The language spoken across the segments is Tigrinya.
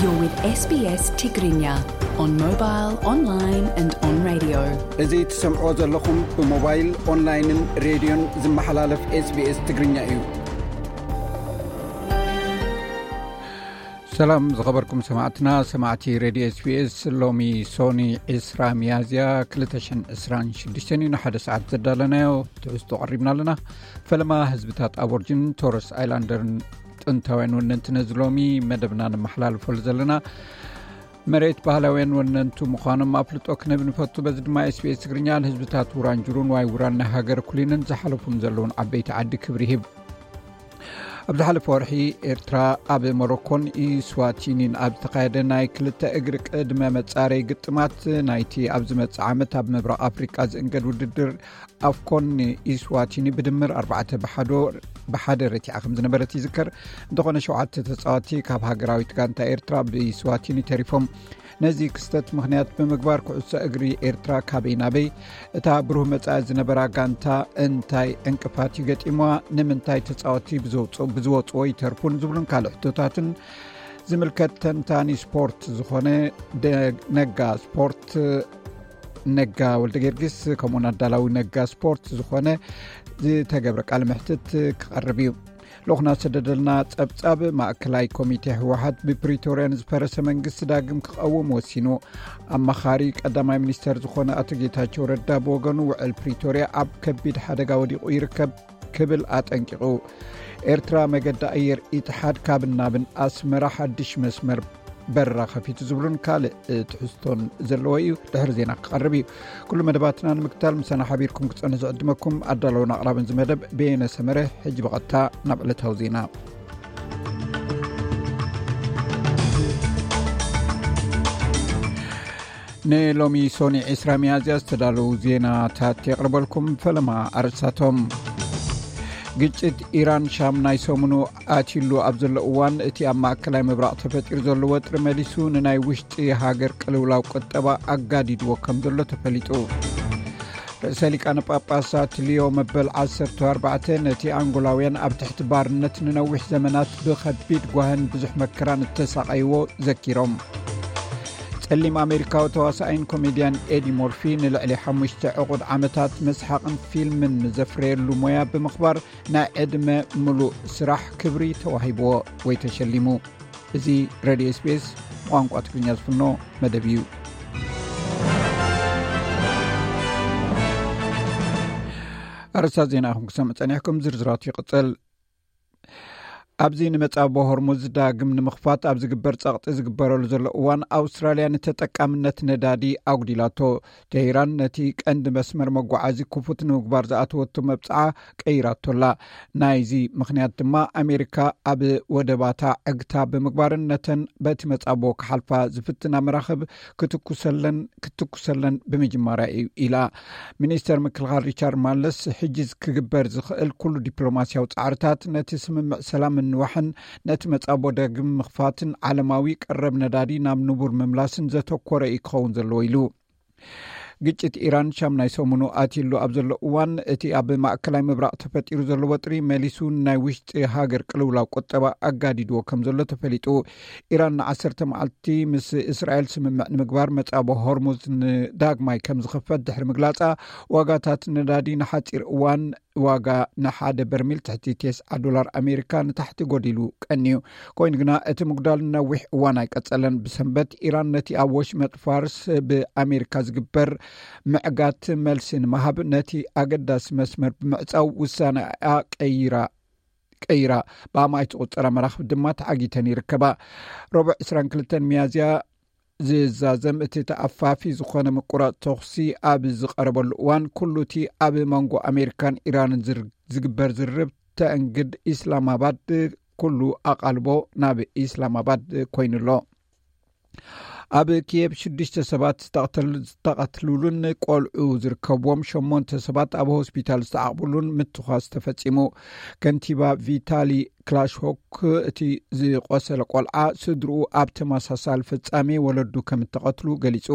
You're with S B S Tigrinya on mobile, online and on radio. እዚ ትሰምዕዎ ዘለኹም ብሞባይል፣ ኦንላይንን ሬድዮን ዝመሓላለፍ S B S ትግርኛ እዩ። ሰላም ዝኸበርኩም ሰማዕትና፣ ሰማዕቲ ሬድዮ S B S። ሎሚ ሶኒ ዕስራ ሚያዝያ ክልተ ሽሕን ዕስራን ሽዱሽተን እዩ። ንሓደ ሰዓት ዘዳለናዮ ትሕዝቶ ቀሪብና ኣለና። ፈለማ ህዝብታት ኣቦርጅን ቶረስ ኣይላንደርን ጥንታውያን ወነንቲ ነዚ ሎሚ መደብና ነመሓላልፈሉ ዘለና መሬት ባህላውያን ወነንቱ ምዃኖም ኣፍልጦ ክነብ ንፈቱ። በዚ ድማ S B S ትግርኛ ንህዝብታት ውራንጅሩን ዋይ ውራን ናይ ሃገር ኩሊንን ዝሓለፉን ዘለውን ዓበይቲ ዓዲ ክብሪ ይህብ። ኣብ ዝሓለፈ ወርሒ ኤርትራ ኣብ ሞሮኮን ኢስዋቲኒን ኣብ ዝተኻየደ ናይ ክልተ እግሪ ቅድመ መጻረይ ግጥማት ናይቲ ኣብ ዝመጽእ ዓመት ኣብ ምብራቕ ኣፍሪቃ ዝእንገድ ውድድር ኣፍኮን ኢስዋቲኒ ብድምር ኣርባዕተ ብሓዶ ብሓደ ረቲዓ ከም ዝነበረት ይዝከር። እንተኾነ ሸውዓተ ተጻወቲ ካብ ሃገራዊት ጋንታ ኤርትራ ብኢስዋቲኒ ተሪፎም። ነዚ ክስተት ምኽንያት ብምግባር ኩዕሶ እግሪ ኤርትራ ካበይ ናበይ፣ እታ ብሩህ መጻኢ ዝነበራ ጋንታ እንታይ ዕንቅፋት ይገጢምዋ፣ ንምንታይ ተጻወቲ ብዝወጽ- ብዝወጽዎ ይተርፉን ዝብሉን ካልእ ሕቶታትን ዝምልከት ተንታኒ ስፖርት ዝኾነ ደ- ነጋ ስፖርት ነጋ ወልደ ጊዮርጊስ ከምኡውን ኣዳላዊ ነጋ ስፖርት ዝኾነ ዝተገብረ ቃለ መሕትት ክቐርብ እዩ። ልኡኽና ዝሰደደልና ጸብጻብ። ማእከላይ ኮሚቴ ህወሓት ብፕሪቶርያ ንዝፈረሰ መንግስቲ ዳግም ክቐውም ወሲኑ። ኣማኻሪ ቀዳማይ ሚኒስተር ዝኾነ ኣቶ ጌታቸው ረዳ ብወገኑ ውዕል ፕሪቶርያ ኣብ ከቢድ ሓደጋ ወዲቑ ይርከብ ክብል ኣጠንቂቑ። ኤርትራ መገዲ ኣየር ኢትሓድ ካብን ናብን ኣስመራ ሓድሽ መስመር በረራ ከፊቱ ዝብሉን ካልእ ትሕዝቶን ዘለዎ እዩ። ድሕሪ ዜና ክቐርብ እዩ። ኩሉ መደባትና ንምክታል ምሳና ሓቢርኩም ክጸንሑ ዝዕድመኩም ኣዳለውን ኣቕራብን ዝመደብ በየነ ሰመረ። ሕጂ ብቐጥታ ናብ ዕለታዊ ዜና። ንሎሚ ሶኒ ዕስራ ሚያዝያ ዝተዳለዉ ዜናታት የቕርበልኩም። ፈለማ ኣርእስታቶም። ግጭት ኢራን ሻም ናይ ሰሙኑ ኣትዩሉ ኣብ ዘሎ እዋን፣ እቲ ኣብ ማእከላይ ምብራቕ ተፈጢሩ ዘሎ ወጥሪ መሊሱ ንናይ ውሽጢ ሃገር ቅልውላው ቁጠባ ኣጋዲድዎ ከም ዘሎ ተፈሊጡ። ርእሰ ሊቃነ ጳጳሳት ሊዮ መበል ዓሰርተ ኣርባዕተ ነቲ ኣንጎላውያን ኣብ ትሕቲ ባርነት ንነዊሕ ዘመናት ብኸቢድ ጓህን ብዙሕ መከራን እተሳቐይዎ ዘኪሮም። ጸሊም ኣሜሪካዊ ተዋሳኣይን ኮሜድያን ኤዲ ሞርፊ ንልዕሊ ሓሙሽተ ዕቑድ ዓመታት መስሓቕን ፊልምን ንዘፍረየሉ ሞያ ብምኽባር ናይ ዕድመ ምሉእ ስራሕ ክብሪ ተዋሂብዎ ወይ ተሸሊሙ። እዚ ሬድዮ S B S ቋንቋ ትግርኛ ዝፍኖ መደብ እዩ። ኣርእስታት ዜና ኢኹም ክሰምዑ ጸኒሕኩም፣ ዝርዝራቱ ይቕጽል። ኣብዚ ንመጻብቦ ሆርሙዝ ዳግም ንምኽፋት ኣብ ዝግበር ጸቕጢ ዝግበረሉ ዘሎ እዋን፣ ኣውስትራልያ ንተጠቃምነት ነዳዲ ኣጉዲላቶ። ቴህራን ነቲ ቀንዲ መስመር መጓዓዚ ክፉት ንምግባር ዝኣተወቶ መብጽዓ ቀይራቶላ። ናይዚ ምኽንያት ድማ ኣሜሪካ ኣብ ወደባታ ዕግታ ብምግባርን ነተን በቲ መጻብቦ ክሓልፋ ዝፍትና መራኽብ ክትኩሰለን ክትኩሰለን ብምጅማራ እዩ ኢላ። ሚኒስተር ምክልኻል ሪቻርድ ማለስ፣ ሕጂ ክግበር ዝኽእል ኩሉ ዲፕሎማስያዊ ጻዕርታት ነቲ ስምምዕ ሰላም ምንዋሕን ነቲ መጻቦ ዳግም ምኽፋትን ዓለማዊ ቀረብ ነዳዲ ናብ ንቡር ምምላስን ዘተኮረ እዩ ክኸውን ዘለዎ ኢሉ። ግጭት ኢራን ሻም ናይ ሰሙኑ ኣትዩሉ ኣብ ዘሎ እዋን፣ እቲ ኣብ ማእከላይ ምብራቕ ተፈጢሩ ዘሎ ወጥሪ መሊሱ ናይ ውሽጢ ሃገር ቅልውላው ቁጠባ ኣጋዲድዎ ከም ዘሎ ተፈሊጡ። ኢራን ንዓሰርተ መዓልቲ ምስ እስራኤል ስምምዕ ንምግባር መጻቦ ሆርሙዝ ንዳግማይ ከም ዝኽፈት ድሕሪ ምግላጻ፣ ዋጋታት ነዳዲ ንሓጺር እዋን ዋጋ ንሓደ በርሚል ትሕቲ ተስዓ ዶላር ኣሜሪካ ንታሕቲ ጎዲሉ ቀንዩ። ኮይኑ ግና እቲ ምጉዳል ነዊሕ እዋን ኣይቀጸለን። ብሰንበት ኢራን ነቲ ኣብ ወሽመጥ ፋርስ ብኣሜሪካ ዝግበር ምዕጋት መልሲ ንምሃብ ነቲ ኣገዳሲ መስመር ብምዕጻው ውሳነኣ ቀይራ ቀይራ። ብኣማኢት ዝቑጸራ መራኽብ ድማ ተዓጊተን ይርከባ። ረቡዕ ዕስራን ክልተን ሚያዝያ ዝዛዘም እቲ ተኣፋፊ ዝኾነ ምቁራጽ ተኹሲ ኣብ ዝቐረበሉ እዋን፣ ኩሉ እቲ ኣብ መንጎ ኣሜሪካን ኢራንን ዝር- ዝግበር ዝርርብ ተእንግድ ኢስላማባድ ኩሉ ኣቓልቦ ናብ ኢስላማባድ ኮይኑ ኣሎ። ኣብ ኪየብ ሽዱሽተ ሰባት ዝተቐተል-፣ ዝተቐትሉሉን ቆልዑ ዝርከብዎም ሸሞንተ ሰባት ኣብ ሆስፒታል ዝተዓቕብሉን ምትኳስ ተፈጺሙ። ከንቲባ ቪታሊ ክላሽሆክ እቲ ዝቆሰለ ቆልዓ ስድርኡ ኣብ ተመሳሳሊ ፍጻሜ ወለዱ ከም እተቐትሉ ገሊጹ።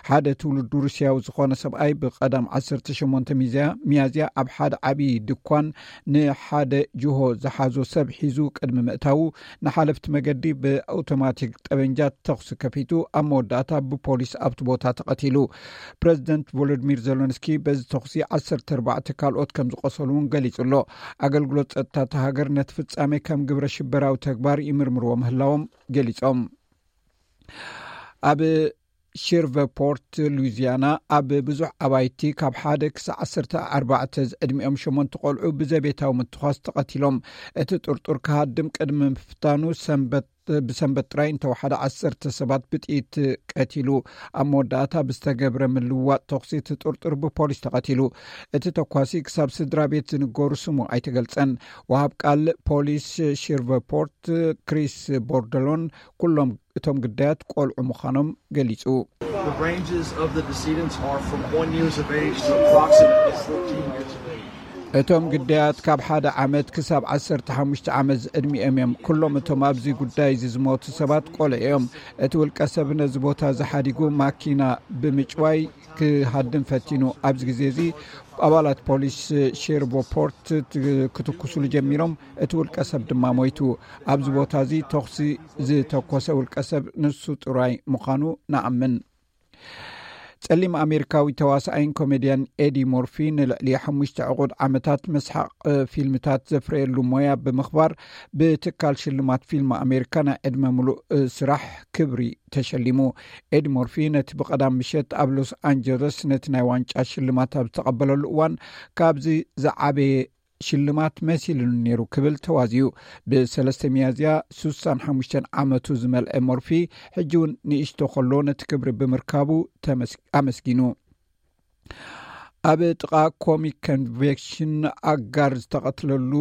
ሓደ ትውልዱ ሩስያዊ ዝኾነ ሰብኣይ ብቐዳም ዓሰርተ ሸሞንተ ሚዝያ-፣ ሚያዝያ ኣብ ሓደ ዓቢ ድኳን ንሓደ ጅሆ ዝሓዞ ሰብ ሒዙ ቅድሚ ምእታዉ ንሓለፍቲ መገዲ ብኣውቶማቲክ ጠበንጃ ተኹሲ ከፊቱ ኣብ መወዳእታ ብፖሊስ ኣብቲ ቦታ ተቐቲሉ። ፕረዚደንት ቮሎዲሚር ዜለንስኪ በዚ ተኹሲ ዓሰርተ ኣርባዕተ ካልኦት ከም ዝቆሰሉ እውን ገሊጹ ኣሎ። ኣገልግሎት ጸጥታ እታ ሃገር ነቲ ፍጻሜ ከም ግብረ ሽበራዊ ተግባር ይምርምርዎ ምህላዎም ገሊጾም። ኣብ ሼርቨፖርት ሉዊዚያና ኣብ ብዙሕ ኣባይቲ ካብ ሓደ ክሳብ ዓሰርተ ኣርባዕተ ዝዕድሚኦም ሸሞንተ ቆልዑ ብዘቤታዊ ምትኳስ ተቐቲሎም። እቲ ጥርጡር ክሃድም ቅድሚ ምፍታኑ ሰንበት ብሰንበት ጥራይ እንተወሓደ ዓሰርተ ሰባት ብጥይት ቀቲሉ። ኣብ መወዳእታ ብዝተገብረ ምልውዋጥ ተኹሲ እቲ ጥርጡር ብፖሊስ ተቐቲሉ። እቲ ተኳሲ ክሳብ ስድራ ቤት ዝንገሩ ስሙ ኣይተገልጸን። ወሃብ ቃል ፖሊስ ሼርቨፖርት ክሪስ ቦርደሎን ኩሎም እቶም ግዳያት ቆልዑ ምዃኖም ገሊጹ። The ranges of the decedents are from one years of age to approximately fourteen years of age. እቶም ግዳያት ካብ ሓደ ዓመት ክሳብ ዓሰርተ ሓሙሽተ ዓመት ዝዕድሚኦም እዮም። ኩሎም እቶም ኣብዚ ጉዳይ እዚ ዝሞቱ ሰባት ቆልዑ እዮም። እቲ ውልቀ ሰብ ነዚ ቦታ እዚ ሓዲጉ ማኪና ብምጭዋይ ክሃድም ፈቲኑ። ኣብዚ ግዜ እዚ ኣባላት ፖሊስ ሼርቦፖርት ት-፣ ክትኩሱሉ ጀሚሮም። እቲ ውልቀ ሰብ ድማ ሞይቱ። ኣብዚ ቦታ እዚ ተኹሲ ዝተኮሰ ውልቀ ሰብ ንሱ ጥራይ ምዃኑ ንኣምን። ጸሊም ኣሜሪካዊ ተዋሳኣይን ኮሜድያን ኤዲ ሞርፊ ንልዕሊ ሓሙሽተ ዕቑድ ዓመታት መስሓቕ ፊልምታት ዘፍረየሉ ሞያ ብምኽባር ብትካል ሽልማት ፊልም ኣሜሪካ ናይ ዕድመ ምሉእ ስራሕ ክብሪ ተሸሊሙ። ኤዲ ሞርፊ ነቲ ብቐዳም ምሸት ኣብ ሎስ ኣንጀለስ ነቲ ናይ ዋንጫ ሽልማት ኣብ ዝተቐበለሉ እዋን፣ ካብዚ ዝዓበየ ሽልማት መሲሉኒ ነይሩ ክብል ተዋዚዩ። ብሰለስተ ሚያዝያ ሱሳን ሓሙሽተን ዓመቱ ዝመልአ ሞርፊ፣ ሕጂ እውን ንእሽቶ ከሎ ነቲ ክብሪ ብምርካቡ ተመስ-፣ ኣመስጊኑ። ኣብ ጥቓ ኮሚክ ኮንቬንሽን ኣጋር ዝተቐትለሉ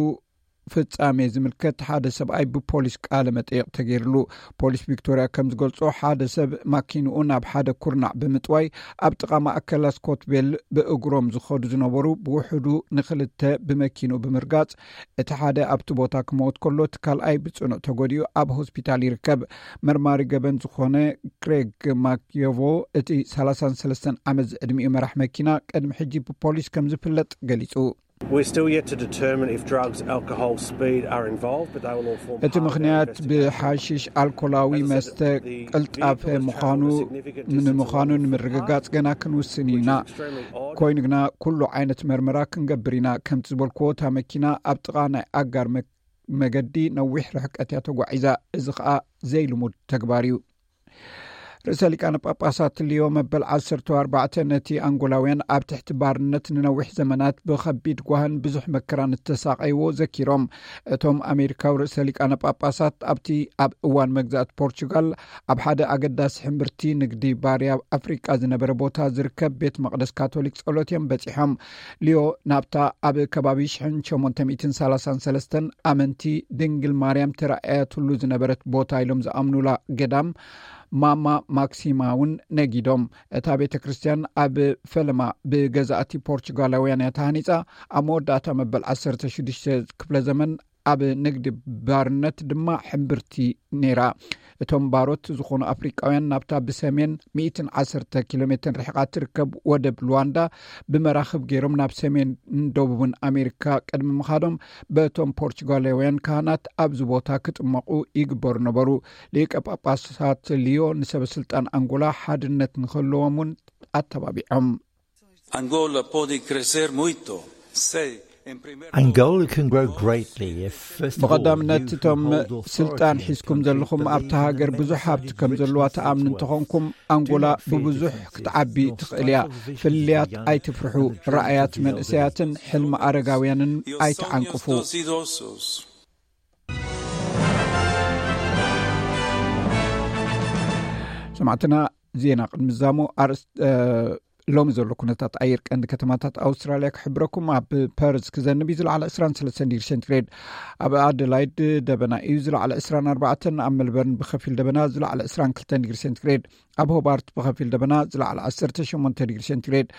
ፍጻሜ ዝምልከት ሓደ ሰብኣይ ብፖሊስ ቃለ መጠይቕ ተገይርሉ። ፖሊስ ቪክቶርያ ከም ዝገልጾ፣ ሓደ ሰብ ማኪንኡ ናብ ሓደ ኩርናዕ ብምጥዋይ ኣብ ጥቓ ማእከላ ስኮትቤል ብእግሮም ዝኸዱ ዝነበሩ ብውሕዱ ንኽልተ ብመኪንኡ ብምርጋጽ፣ እቲ ሓደ ኣብቲ ቦታ ክመውት ከሎ፣ እቲ ካልኣይ ብጽኑዕ ተጎዲኡ ኣብ ሆስፒታል ይርከብ። መርማሪ ገበን ዝኾነ ክሬግ ማክዮቮ፣ እቲ ሰላሳን ሰለስተን ዓመት ዝዕድሚኡ መራሕ መኪና ቅድሚ ሕጂ ብፖሊስ ከም ዝፍለጥ ገሊጹ። We're still yet to determine if drugs, alcohol, speed are involved, but they will all form እቲ part of our ምኽንያት investigation. ብሓሽሽ ኣልኮላዊ መስተ ቅልጣፈ ምዃኑ ንምዃኑ ንምርግጋጽ ገና ክንውስን ኢና። ኮይኑ ግና ኩሉ ዓይነት መርመራ ክንገብር ኢና። ከምቲ ዝበልክዎ፣ እታ መኪና ኣብ ጥቓ ናይ ኣጋር መ-፣ መገዲ ነዊሕ ርሕቀት እያ ተጓዒዛ። እዚ ኸኣ ዘይልሙድ ተግባር እዩ። ርእሰ ሊቃነ ጳጳሳት ሊዮ መበል ዓሰርተ ኣርባዕተ ነቲ ኣንጎላውያን ኣብ ትሕቲ ባርነት ንነዊሕ ዘመናት ብኸቢድ ጓህን ብዙሕ መከራን እተሳቐይዎ ዘኪሮም። እቶም ኣሜሪካዊ ርእሰ ሊቃነ ጳጳሳት ኣብቲ ኣብ እዋን መግዛእቲ ፖርቹጋል ኣብ ሓደ ኣገዳሲ ሕምብርቲ ንግዲ ባርያ ኣፍሪቃ ዝነበረ ቦታ ዝርከብ ቤት መቕደስ ካቶሊክ ጸሎት እዮም በጺሖም። ሊዮ ናብታ ኣብ ከባቢ ሽሕን ሸሞንተ ሚእትን ሰላሳን ሰለስተን ኣመንቲ ድንግል ማርያም ተራእያትሉ ዝነበረት ቦታ ኢሎም ዝኣምኑላ ገዳም ማማ ማክሲማ እውን ነጊዶም። እታ ቤተ ክርስቲያን ኣብ ፈለማ ብገዛእቲ ፖርቹጋላውያን እያ ተሃኒጻ። ኣብ መወዳእታ መበል ዓሰርተ ሽዱሽተ ክፍለ ዘመን ኣብ ንግዲ ባርነት ድማ ሕምብርቲ ነይራ። እቶም ባሮት ዝኾኑ ኣፍሪቃውያን ናብታ ብሰሜን ሚእትን ዓሰርተ ኪሎ ሜትር ርሒቓ ትርከብ ወደብ ሉዋንዳ ብመራኽብ ገይሮም ናብ ሰሜን ደቡብን ኣሜሪካ ቅድሚ ምኻዶም፣ በቶም ፖርቹጋላውያን ካህናት ኣብዚ ቦታ ክጥመቑ ይግበሩ ነበሩ። ሊቀ ጳጳሳት ሊዮ ንሰበ ስልጣን ኣንጎላ ሓድነት ንክህልዎም እውን ኣተባቢዖም። Angola pode crescer muito se, em primeiro Angola can grow greatly if, first of all, ብቐዳምነት፣ you እቶም who hold authority ስልጣን in the ሒዝኩም country ዘለኹም ኣብታ believe ሃገር in the ብዙሕ ሃብቲ message ከም which ዘለዋ we send ትኣምኑ to እንተኾንኩም፣ ኣንጎላ do not fear ብብዙሕ defeat ክትዓቢ is, nor ትኽእል እያ። stifle the visions of the ፍልልያት young ኣይትፍርሑ። and the dreams of ራእያት the መንእሰያትን elderly. ሕልሚ ኣረጋውያንን ኣይትዓንቅፉ። Dos idosos. ሰማዕትና፣ ዜና ቅድሚ ዛሞ ኣርእስ-፣ እ፣ ሎሚ ዘሎ ኩነታት ኣየር ቀንዲ ከተማታት ኣውስትራልያ ክሕብረኩም። ኣብ ፐርዝ ክዘንብ እዩ፣ ዝለዓለ ዕስራን ሰለስተን ዲግሪ ሴንቲግሬድ። ኣብ ኣደላይድ ደበና እዩ፣ ዝለዓለ ዕስራን ኣርባዕተን። ኣብ ሜልበርን ብኸፊል ደበና፣ ዝለዓለ ዕስራን ክልተን ዲግሪ ሴንቲግሬድ። ኣብ ሆባርት ብኸፊል ደበና፣ ዝለዓለ ዓሰርተ ሸሞንተ ዲግሪ ሴንቲግሬድ።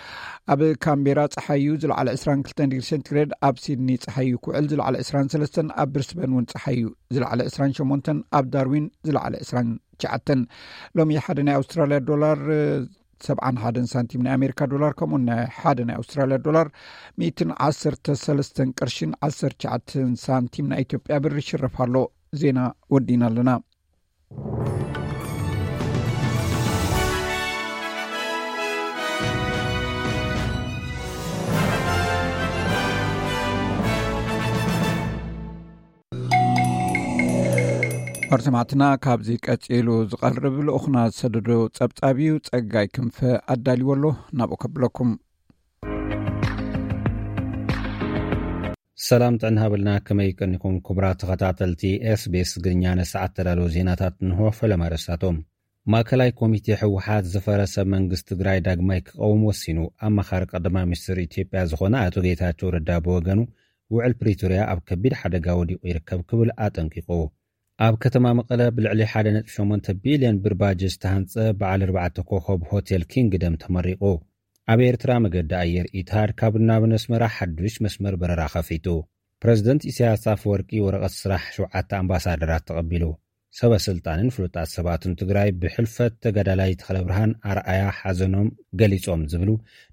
ኣብ ካምቤራ ጸሓይ እዩ፣ ዝለዓለ ዕስራን ክልተን ዲግሪ ሴንቲግሬድ። ኣብ ሲድኒ ጸሓይ እዩ ክውዕል፣ ዝለዓለ ዕስራን ሰለስተን። ኣብ ብሪስበን እውን ጸሓይ እዩ፣ ዝለዓለ ዕስራን ሸሞንተን። ኣብ ዳርዊን ዝለዓለ ዕስራን ትሽዓተን። ሎሚ ሓደ ናይ ኣውስትራልያ ዶላር ሰብዓን ሓደን ሳንቲም ናይ ኣሜሪካ ዶላር፣ ከምኡውን ናይ ሓደ ናይ ኣውስትራልያ ዶላር ሚእትን ዓሰርተ ሰለስተን ቅርሽን ዓሰርተ ትሽዓተን ሳንቲም ናይ ኢትዮጵያ ብር ይሽረፍ ኣሎ። ዜና ወዲና ኣለና። ኣርሰማዕትና ካብዚ ቀጺሉ ዝቐርብ ልኡኽና ዝሰደዶ ጸብጻብ እዩ። ጸጋይ ክንፈ ኣዳልዎ ኣሎ፣ ናብኡ ከብለኩም። ሰላም ጥዕና ሃበልና፣ ከመይ ቀኒኹም ክቡራት ተኸታተልቲ ኤስቢኤስ ትግርኛ? ንሰዓት ተዳለዉ ዜናታት እንሆ። ፈለማ ኣርእስታቶም። ማእከላይ ኮሚቴ ህወሓት ዝፈረሰ መንግስቲ ትግራይ ዳግማይ ክቐውም ወሲኑ። ኣማኻሪ ቀዳማይ ሚኒስትር ኢትዮጵያ ዝኾነ ኣቶ ጌታቸው ረዳ ብወገኑ፣ ውዕል ፕሪቶርያ ኣብ ከቢድ ሓደጋ ወዲቑ ይርከብ ክብል ኣጠንቂቑ። ኣብ ከተማ መቐለ ብልዕሊ ሓደ ነጥቢ ሸሞንተ ቢልዮን ብር ባጀት ዝተሃንጸ በዓል ኣርባዕተ ኮኸብ ሆቴል ኪንግደም ተመሪቑ። ኣብ ኤርትራ መገዲ ኣየር ኢትሃድ ካብን ናብን ኣስመራ ሓዱሽ መስመር በረራ ከፊቱ። ፕረዚደንት ኢሳያስ ኣፈወርቂ ወረቐት ስራሕ ሸውዓተ ኣምባሳደራት ተቐቢሉ። ሰበ ስልጣንን ፍሉጣት ሰባትን ትግራይ ብሕልፈት ተጋዳላይ ተኽለብርሃን ኣርኣያ ሓዘኖም ገሊጾም ዝብሉ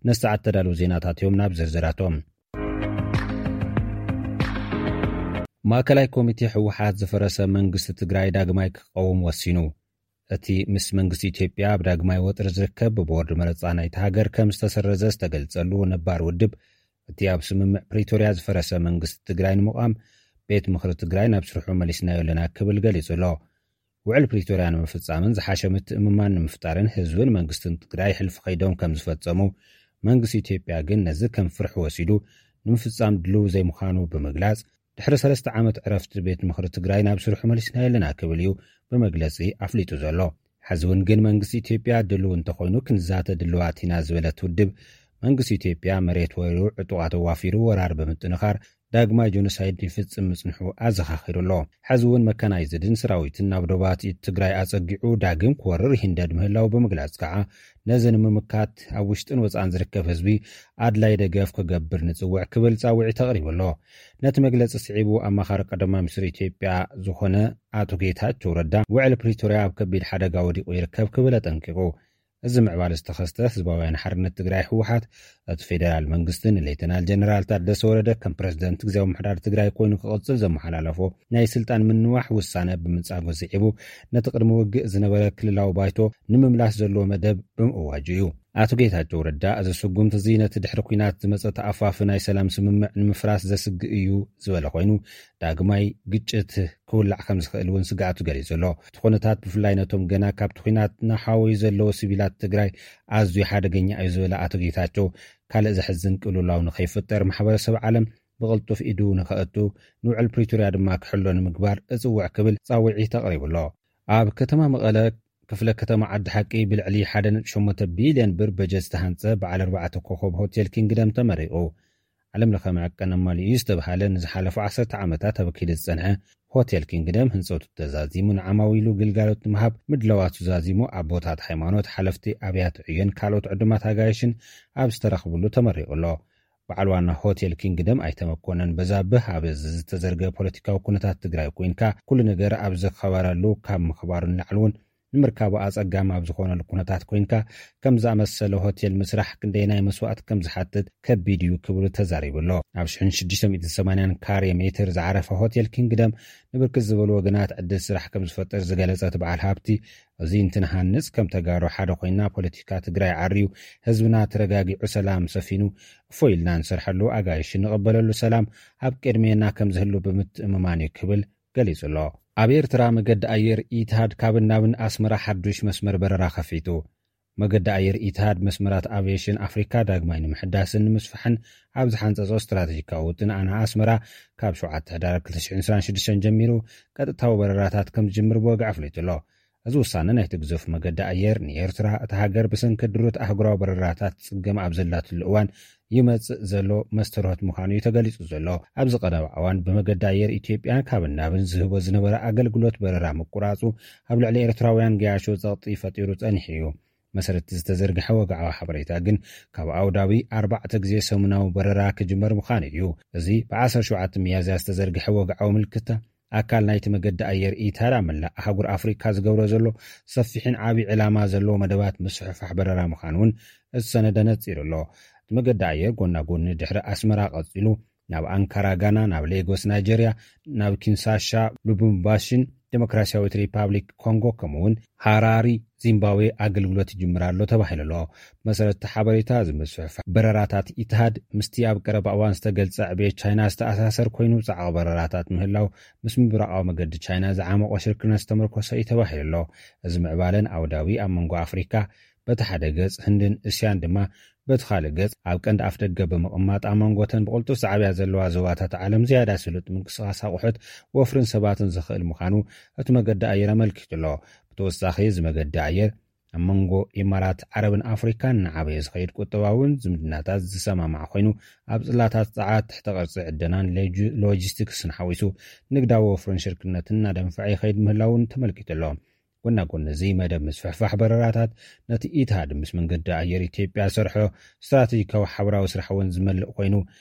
ነሰዓት ተዳለዉ ዜናታት እዮም። ናብ ዝርዝራቶም። ማእከላይ ኮሚቴ ህወሓት ዝፈረሰ መንግስቲ ትግራይ ዳግማይ ክቐውም ወሲኑ። እቲ ምስ መንግስቲ ኢትዮጵያ ኣብ ዳግማይ ወጥሪ ዝርከብ ብቦርድ መረጻ ናይቲ ሃገር ከም ዝተሰረዘ ዝተገልጸሉ ነባር ውድብ፣ እቲ ኣብ ስምምዕ ፕሪቶርያ ዝፈረሰ መንግስቲ ትግራይ ንምቋም ቤት ምኽሪ ትግራይ ናብ ስርሑ መሊስናዮ ኣለና ክብል ገሊጹ ኣሎ። ውዕል ፕሪቶርያ ንምፍጻምን ዝሓሸ ምትእምማን ንምፍጣርን ህዝብን መንግስትን ትግራይ ሕልፊ ከይዶም ከም ዝፈጸሙ፣ መንግስቲ ኢትዮጵያ ግን ነዚ ከም ፍርሒ ወሲዱ ንምፍጻም ድልው ዘይምዃኑ ብምግላጽ፣ ድሕሪ ሰለስተ ዓመት ዕረፍቲ ቤት ምኽሪ ትግራይ ናብ ስርሑ መሊስናዮ ኣለና ክብል እዩ ብመግለጺ ኣፍሊጡ ዘሎ። ሕዚ እውን ግን መንግስቲ ኢትዮጵያ ድልው እንተኾይኑ ክንዛተ ድልዋት ኢና ዝበለት ውድብ፣ መንግስቲ ኢትዮጵያ መሬት ወሪሩ፣ ዕጡቓት ኣዋፊሩ፣ ወራር ብምጥንኻር ዳግማይ ጆኖሳይድ ይፍጽም ምጽንሑ ኣዘኻኺሩ ኣሎ። ሕዚ እውን መካናይዝድን ሰራዊትን ናብ ዶባት ትግራይ ኣጸጊዑ ዳግም ክወርር ይህንደድ ምህላው ብምግላጽ ከዓ፣ ነዚ ንምምካት ኣብ ውሽጥን ወጻእን ዝርከብ ህዝቢ ኣድላይ ደገፍ ክገብር ንጽውዕ ክብል ጻውዒት ኣቕሪቡ ኣሎ። ነቲ መግለጺ ስዒቡ ኣማኻሪ ቀዳማይ ሚኒስትር ኢትዮጵያ ዝኾነ ኣቶ ጌታቸው ረዳ፣ ውዕል ፕሪቶርያ ኣብ ከቢድ ሓደጋ ወዲቑ ይርከብ ክብል ኣጠንቂቑ። እዚ ምዕባለ ዝተኸስተ ህዝባውያን ሓርነት ትግራይ ህወሓት፣ እቲ ፌደራል መንግስቲ ንሌተናል ጀነራል ታደሰ ወረደ ከም ፕረዚደንት ግዝያዊ ምምሕዳር ትግራይ ኮይኑ ክቕጽል ዘመሓላለፎ ናይ ስልጣን ምንዋሕ ውሳነ ብምንጻጉ ስዒቡ፣ ነቲ ቅድሚ ውግእ ዝነበረ ክልላዊ ባይቶ ንምምላስ ዘለዎ መደብ ብምእዋጁ እዩ። ኣቶ ጌታቸው ረዳ፣ እዚ ስጉምቲ እዚ ነቲ ድሕሪ ኲናት ዝመጸ ተኣፋፊ ናይ ሰላም ስምምዕ ንምፍራስ ዘስግእ እዩ ዝበለ ኮይኑ፣ ዳግማይ ግጭት ክውላዕ ከም ዝኽእል እውን ስግኣቱ ገሊጹ ኣሎ። እቲ ኩነታት ብፍላይ ነቶም ገና ካብቲ ኲናት እናሓወዩ ዘለዉ ሲቪላት ትግራይ ኣዝዩ ሓደገኛ እዩ ዝበለ ኣቶ ጌታቸው፣ ካልእ ዘሕዝን ቅልውላው ንኸይፍጠር ማሕበረሰብ ዓለም ብቕልጡፍ ኢዱ ንኸእቱ፣ ንውዕል ፕሪቶርያ ድማ ክሕሎ ንምግባር እጽውዕ ክብል ጻውዒት ኣቕሪቡ ኣሎ። ኣብ ከተማ መቐለ ክፍለ ከተማ ዓዲ ሓቂ ብልዕሊ ሓደ ነጥቢ ሸሞንተ ቢልዮን ብር በጀት ዝተሃንጸ በዓል ኣርባዕተ ኮኸብ ሆቴል ኪንግደም ተመሪቑ። ዓለም ለኸ መዐቀኒ ኣማሊኡ ዝተብሃለ ንዝሓለፉ ዓሰርተ ዓመታት ኣብ ከይዲ ዝጸንሐ ሆቴል ኪንግደም ህንጸቱ ተዛዚሙ ንዓማዊሉ ግልጋሎት ንምሃብ ምድላዋቱ ዛዚሙ ኣቦታት ሃይማኖት፣ ሓለፍቲ ኣብያተ ዕዮን ካልኦት ዕዱማት ኣጋይሽን ኣብ ዝተረኽብሉ ተመሪቑ ኣሎ። በዓል ዋና ሆቴል ኪንግደም ኣይተ መኮነን በዛብህ፣ ኣብ ዝተዘርገ ፖለቲካዊ ኩነታት ትግራይ ኮይንካ ኩሉ ነገር ኣብ ዝኸበረሉ ካብ ምኽባሩ ንላዕሊ እውን ንምርካቡ ኣጸጋሚ ኣብ ዝኾነሉ ኩነታት ኮይንካ ከም ዝኣመሰለ ሆቴል ምስራሕ ክንደየናይ መስዋእቲ ከም ዝሓትት ከቢድ እዩ ክብሉ ተዛሪቡ ኣሎ። ኣብ ሽሕን ሽዱሽተ ሚእትን ሰማንያን ካሬ ሜትር ዝዓረፈ ሆቴል ኪንግደም ንብርክት ዝበሉ ወገናት ዕድል ስራሕ ከም ዝፈጥር ዝገለጸ እቲ በዓል ሃብቲ፣ እዚ እንትንሃንጽ ከም ተጋሩ ሓደ ኮይና ፖለቲካ ትግራይ ዓርዩ ህዝብና ተረጋጊዑ ሰላም ሰፊኑ እፎይ ኢልና ንሰርሐሉ ኣጋይሽ ንቕበለሉ ሰላም ኣብ ቅድሜና ከም ዝህሉ ብምትእምማን እዩ ክብል ገሊጹ ኣሎ። ኣብ ኤርትራ መገዲ ኣየር ኢትሃድ ካብን ናብን ኣስመራ ሓዱሽ መስመር በረራ ከፊቱ። መገዲ ኣየር ኢትሃድ መስመራት ኣቪዬሽን ኣፍሪካ ዳግማይ ንምሕዳስን ንምስፋሕን ኣብ ዝሓንጸጾ ስትራቴጂካዊ ውጥን ኣና ኣስመራ ካብ ሸውዓተ ሕዳር ክልተ ሽሕን ዕስራን ሽዱሽተን ጀሚሩ ቀጥታዊ በረራታት ከም ዝጅምር ብወግዒ ኣፍሊጡ ኣሎ። እዚ ውሳነ ናይቲ ግዙፍ መገዲ ኣየር ንኤርትራ፣ እታ ሃገር ብሰንኪ ድሩት ኣህጉራዊ በረራታት ጽገም ኣብ ዘላትሉ እዋን ይመጽእ ዘሎ መስተርሆት ምዃኑ እዩ ተገሊጹ ዘሎ። ኣብዚ ቀረባ እዋን ብመገዲ ኣየር ኢትዮጵያ ካብን ናብን ዝህቦ ዝነበረ ኣገልግሎት በረራ ምቁራጹ ኣብ ልዕሊ ኤርትራውያን ገያሾ ጸቕጢ ፈጢሩ ጸኒሑ እዩ። መሰረት ዝተዘርግሐ ወግዓዊ ሓበሬታ ግን ካብ ኣውዳዊ ኣርባዕተ ግዜ ሰሙናዊ በረራ ክጅመር ምዃኑ እዩ። እዚ ብ ዓሰርተ ሸውዓተ ሚያዝያ ዝተዘርግሐ ወግዓዊ ምልክታ ኣካል ናይቲ መገዲ ኣየር ኢታድ ኣብ መላእ ኣህጉር ኣፍሪካ ዝገብሮ ዘሎ ሰፊሕን ዓቢ ዕላማ ዘለዎ መደባት ምስፍሕፋሕ በረራ ምዃኑ እውን እቲ ሰነደ ነጺሩ ኣሎ። እቲ መገዲ ኣየር ጎና ጎኒ ድሕሪ ኣስመራ ቀጺሉ ናብ ኣንካራ ጋና፣ ናብ ሌጎስ ናይጀርያ፣ ናብ ኪንሳሻ ሉቡምባሽን ዴሞክራሲያዊት ሪፓብሊክ ኮንጎ ከምኡውን ሃራሪ ዚምባብዌ ኣገልግሎት ይጅምር ኣሎ ተባሂሉ ኣሎ። መሰረት እቲ ሓበሬታ እዚ ምስፍሕፋሕ በረራታት ኢትሃድ ምስቲ ኣብ ቀረባ እዋን ዝተገልጸ ዕብየት ቻይና ዝተኣሳሰር ኮይኑ ጻዕቕ በረራታት ምህላው ምስ ምብራቓዊ መገዲ ቻይና ዝዓመቖ ሽርክነት ዝተመርኮሰ እዩ ተባሂሉ ኣሎ። እዚ ምዕባለን ኣውዳዊ ኣብ መንጎ ኣፍሪካ በቲ ሓደ ገጽ ህንድን እስያን ድማ በቲ ካልእ ገጽ ኣብ ቀንዲ ኣፍ ደገ ብምቕማጥ ኣብ መንጎተን ብቕልጡፍ ዝዓብያ ዘለዋ ዞባታት ዓለም ዝያዳ ስሉጥ ምንቅስቓስ ኣቑሑት ወፍርን ሰባትን ዝኽእል ምዃኑ እቲ መገዲ ኣየር ኣመልኪቱ ኣሎ። ብተወሳኺ እዚ መገዲ ኣየር ኣብ መንጎ ኢማራት ዓረብን ኣፍሪካን እናዓበየ ዝኸይድ ቁጠባውን ዝምድናታት ዝሰማማዕ ኮይኑ ኣብ ጽላታት ጸዓት ትሕተ ቅርጺ ዕደናን ሎጂስቲክስን ሓዊሱ ንግዳዊ ወፍርን ሽርክነትን እናደንፈዐ ይኸይድ ምህላውን ተመልኪቱ ኣሎ። ጎና ጎኒ እዚ መደብ ምስፍሕፋሕ በረራታት ነቲ ኢትሃድ ምስ መንገዲ ኣየር ኢትዮጵያ ሰርሖ ስትራቴጂካዊ ሓበራዊ ስራሕ እውን ዝመልእ ኮይኑ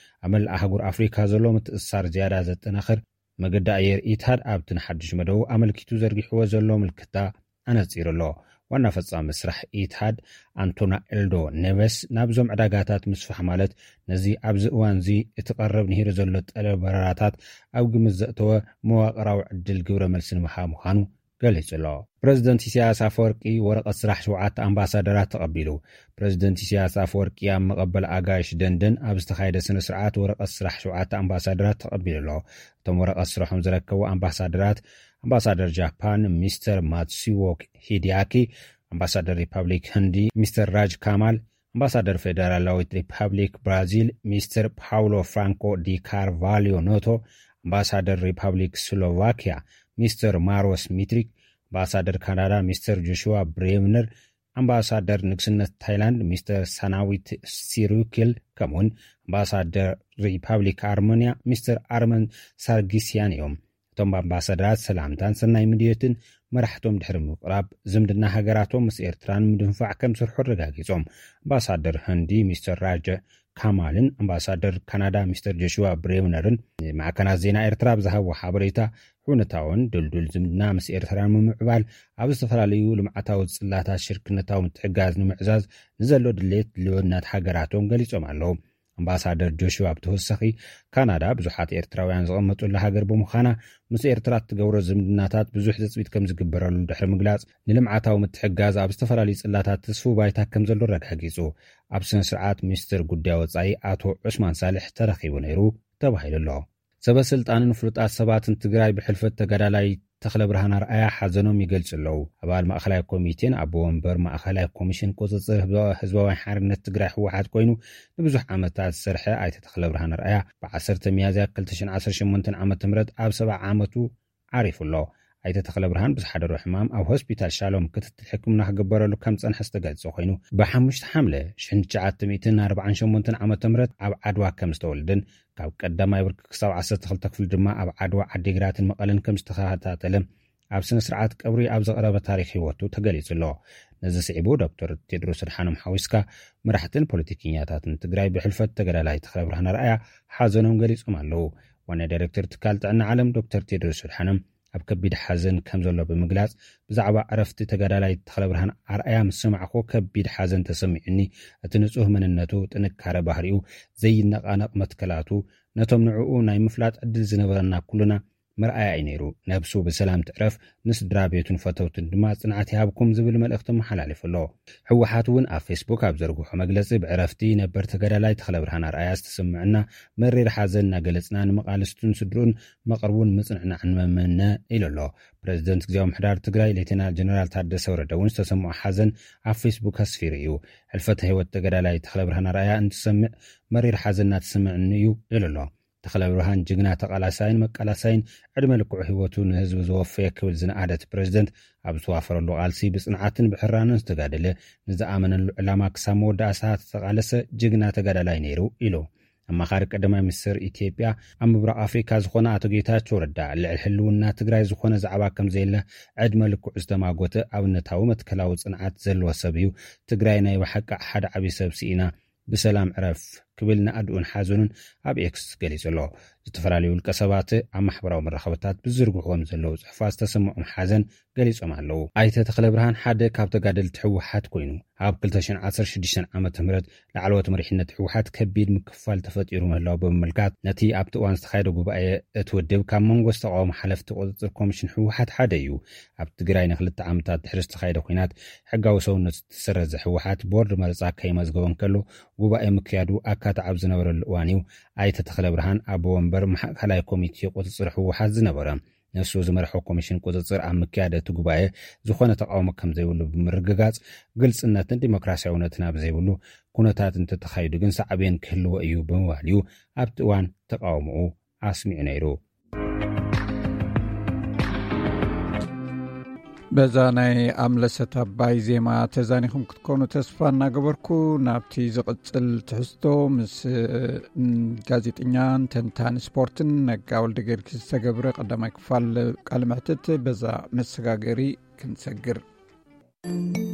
ኣብ መላእ ኣህጉር ኣፍሪካ ዘሎ ምትእስሳር ዝያዳ ዘጠናኽር መገዲ ኣየር ኢትሃድ ኣብቲ ንሓድሽ መደቡ ኣመልኪቱ ዘርጊሕዎ ዘሎ ምልክታ ኣነጺሩ ኣሎ። ዋና ፈጻሚ ስራሕ ኢትሃድ ኣንቶና ኤልዶ ኔቨስ ናብዞም ዕዳጋታት ምስፋሕ ማለት ነዚ ኣብዚ እዋን እዚ እቲ ቀረብ ንሂሩ ዘሎ ጠለብ በረራታት ኣብ ግምት ዘእተወ መዋቕራዊ ዕድል ግብረ መልሲ ንምሃብ ምዃኑ ገሊጹ ኣሎ። ፕረዚደንት ኢሳያስ ኣፈወርቂ ወረቐት ስራሕ ሸውዓተ ኣምባሳደራት ተቐቢሉ። ፕረዚደንት ኢሳያስ ኣፈወርቂ ኣብ መቐበል ኣጋይሽ ደንደን ኣብ ዝተኻየደ ስነ ስርዓት ወረቐት ስራሕ ሸውዓተ ኣምባሳደራት ተቐቢሉ ኣሎ። እቶም ወረቐት ስራሖም ዝረከቡ ኣምባሳደራት ኣምባሳደር ጃፓን ሚስተር ማትሲዎ ሂዲያኪ፣ ኣምባሳደር ሪፓብሊክ ህንዲ ሚስተር ራጅ ካማል፣ ኣምባሳደር ፌደራላዊት ሪፓብሊክ ብራዚል ሚስተር ፓውሎ ፍራንኮ ዲ ካርቫልዮ ኖቶ፣ ኣምባሳደር ሪፓብሊክ ስሎቫኪያ ሚስተር ማሮስ ሚትሪክ፣ ኣምባሳደር ካናዳ ሚስተር ጆሹዋ ብሬምነር፣ ኣምባሳደር ንግስነት ታይላንድ ሚስተር ሳናዊት ሲሩኪል ከምኡውን ኣምባሳደር ሪፓብሊክ ኣርመንያ ሚስተር ኣርመን ሳርጊስያን እዮም። እቶም ኣምባሳደራት ሰላምታን ሰናይ ምድዮትን መራሕቶም ድሕሪ ምቕራብ ዝምድና ሃገራቶም ምስ ኤርትራ ንምድንፋዕ ከም ዝሰርሑ ኣረጋጊጾም። ኣምባሳደር ህንዲ ሚስተር ራጀ ካማልን ኣምባሳደር ካናዳ ሚስተር ጆሹዋ ብሬውነርን ንማዕከናት ዜና ኤርትራ ብዝሃብዎ ሓበሬታ፣ ሕውነታውን ድልዱል ዝምድና ምስ ኤርትራ ንምምዕባል ኣብ ዝተፈላለዩ ልምዓታዊ ጽላታት ሽርክነታዊ ምትሕጋዝ ንምዕዛዝ ንዘሎ ድሌት ልውነት ሃገራቶም ገሊጾም ኣለዉ። ኣምባሳደር ጆሹዋ ብተወሳኺ፣ ካናዳ ብዙሓት ኤርትራውያን ዝቐመጡላ ሃገር ብምዃና፣ ምስ ኤርትራ እትገብሮ ዝምድናታት ብዙሕ ትጽቢት ከም ዝግበረሉ ድሕሪ ምግላጽ፣ ንልምዓታዊ ምትሕጋዝ ኣብ ዝተፈላለዩ ጽላታት ትስፉው ባይታ ከም ዘሎ ኣረጋጊጹ። ኣብ ስነ ስርዓት ሚኒስትር ጉዳይ ወጻኢ ኣቶ ዑስማን ሳልሕ ተረኺቡ ነይሩ ተባሂሉ ኣሎ። ሰበ ስልጣንን ፍሉጣት ሰባትን ትግራይ ብሕልፈት ተጋዳላይ ተኽለ ብርሃን ኣርኣያ ሓዘኖም ይገልጹ ኣለዉ። ኣባል ማእኸላይ ኮሚቴን ኣቦ ወንበር ማእኸላይ ኮሚሽን ቁፅፅር ህዝባዊ ሓርነት ትግራይ ህወሓት ኮይኑ ንብዙሕ ዓመታት ዝሰርሐ ኣይተ ተኽለ ብርሃን ኣርኣያ ብ ዓሰርተ ሚያዝያ ክልተ ሽሕን ዓሰርተ ሸሞንተን ዓመተ ምህረት ኣብ ሰብዓ ዓመቱ ዓሪፉ ኣሎ። ኣይተ ተኽለ ብርሃን ብዝሓደሮ ሕማም ኣብ ሆስፒታል ሻሎም ክትትል ሕክምና ክግበረሉ ከም ዝፀንሐ ዝተገልጸ ኮይኑ፣ ብ ሓሙሽተ ሓምለ ሽሕን ትሽዓተ ሚእትን ኣርባዓን ሸሞንተን ዓመተ ምህረት ኣብ ዓድዋ ከም ዝተወልደን ካብ ቀዳማይ ብርኪ ክሳብ ዓሰርተ ክልተ ክፍሊ ድማ ኣብ ዓድዋ፣ ዓዲግራትን መቐለን ከም ዝተኸታተለ ኣብ ስነ ስርዓት ቀብሪ ኣብ ዘቕረበ ታሪኽ ህይወቱ ተገሊጹ ኣሎ። ነዚ ስዒቡ ዶክተር ቴድሮስ ኣድሓኖም ሓዊስካ መራሕትን ፖለቲከኛታትን ትግራይ ብሕልፈት ተጋዳላይ ተኽለ ብርሃን ኣርኣያ ሓዘኖም ገሊጾም ኣለዉ። ዋና ዳይሬክተር ትካል ጥዕና ዓለም ዶክተር ቴድሮስ ኣድሓኖም ኣብ ከቢድ ሓዘን ከም ዘሎ ብምግላጽ፣ ብዛዕባ ዕረፍቲ ተጋዳላይ ተኽለ ብርሃን ኣርኣያ ምስ ሰማዕኩ ከቢድ ሓዘን ተሰሚዑኒ። እቲ ንጹህ መንነቱ፣ ጥንካረ ባህሪኡ፣ ዘይነቓነቕ መትከላቱ፣ ነቶም ንዕኡ ናይ ምፍላጥ ዕድል ዝነበረና ኩልና መርኣያ እዩ ነይሩ። ነብሱ ብሰላም ትዕረፍ፣ ንስድራ ቤቱን ፈተውትን ድማ ጽንዓት ይሃብኩም ዝብል መልእኽቲ መሓላሊፉ ኣሎ። ህወሓት እውን ኣብ ፌስቡክ ኣብ ዘርግሖ መግለጺ፣ ብዕረፍቲ ነበር ተጋዳላይ ተኽለ ብርሃን ኣርኣያ ዝተሰምዐና መሪር ሓዘን እናገለጽና፣ ንመቓልስቱን ስድርኡን መቕርቡን ምጽንዕናዕ ንመመነ ኢሉ ኣሎ። ፕረዚደንት ግዝያዊ ምሕዳር ትግራይ ሌተናል ጀነራል ታደሰ ወረደ እውን ዝተሰምዖ ሓዘን ኣብ ፌስቡክ ኣስፊሩ እዩ። ሕልፈተ ህይወት ተጋዳላይ ተኽለ ብርሃን ኣርኣያ እንትሰምዕ መሪር ሓዘን እናተሰምዐኒ እዩ ኢሉ ኣሎ። ተኽለ ብርሃን ጅግና ተቓላሳይን መቃላሳይን፣ ዕድመ ልክዑ ህይወቱ ንህዝቢ ዘወፈየ ክብል ዝነኣደ እቲ ፕረዚደንት፣ ኣብ ዝተዋፈረሉ ቃልሲ ብጽንዓትን ብሕራንን ዝተጋደለ፣ ንዝኣመነሉ ዕላማ ክሳብ መወዳእታ ዝተቓለሰ ጅግና ተጋዳላይ ነይሩ ኢሉ። ኣማኻሪ ቀዳማይ ሚኒስትር ኢትዮጵያ ኣብ ምብራቕ ኣፍሪካ ዝኾነ ኣቶ ጌታቸው ረዳ፣ ልዕሊ ህልውና ትግራይ ዝኾነ ዛዕባ ከም ዘየለ፣ ዕድመ ልክዑ ዝተማጎተ ኣብነታዊ መትከላዊ ጽንዓት ዘለዎ ሰብ እዩ። ትግራይ ናይ ብሓቂ ሓደ ዓብዪ ሰብ ስኢና፣ ብሰላም ዕረፍ ክብል ናእድኡን ሓዘኑን ኣብ ኤክስ ገሊጹ ኣሎ። ዝተፈላለዩ ውልቀ ሰባት ኣብ ማሕበራዊ መራኸብታት ብዝዝርግሕዎም ዘለዉ ጽሑፋት ዝተሰምዖም ሓዘን ገሊጾም ኣለዉ። ኣይተ ተኽለ ብርሃን ሓደ ካብ ተጋደልቲ ህወሓት ኮይኑ፣ ኣብ ክልተ ሽሕን ዓሰርተ ሽዱሽተን ዓመተ ምህረት ላዕለዎት መሪሕነት ህወሓት ከቢድ ምክፍፋል ተፈጢሩ ምህላው ብምምልካት፣ ነቲ ኣብቲ እዋን ዝተኻየደ ጉባኤ እቲ ውድብ ካብ መንጎ ዝተቓወሙ ሓለፍቲ ቁጽጽር ኮሚሽን ህወሓት ሓደ እዩ። ኣብ ትግራይ ንክልተ ዓመታት ድሕሪ ዝተኻየደ ኲናት ሕጋዊ ሰውነቱ ዝተሰረዘ ህወሓት፣ ቦርድ መረጻ ከይመዝገቦ እንከሎ፣ ጉባኤ ምክያዱ ኣካታዕ ኣብ ዝነበረሉ እዋን እዩ ኣይተ ተኽለ ብርሃን ኣቦ ወንበር ማእከላይ ኮሚቴ ቁጽጽር ህወሓት ዝነበረ። ንሱ ዝመርሖ ኮሚሽን ቁጽጽር ኣብ ምክያድ እቲ ጉባኤ ዝኾነ ተቃውሞ ከም ዘይብሉ ብምርግጋጽ፣ ግልጽነትን ዲሞክራሲያውነትን ኣብ ዘይብሉ ኩነታት እንተተኻይዱ ግን ሳዕቤን ክህልዎ እዩ ብምባል እዩ ኣብቲ እዋን ተቃውሞኡ ኣስሚዑ ነይሩ። በዛ ናይ ኣምለሰት ኣባይ ዜማ ተዛኒኹም ክትኮኑ ተስፋ እናገበርኩ፣ ናብቲ ዝቕጽል ትሕዝቶ ምስ፣ እ፣ ጋዜጠኛን ተንታኒ ስፖርትን ነጋ ወልደ ጊዮርጊስ ዝተገብረ ቀዳማይ ክፋል ቃለ መሕትት በዛ መሰጋገሪ ክንሰግር።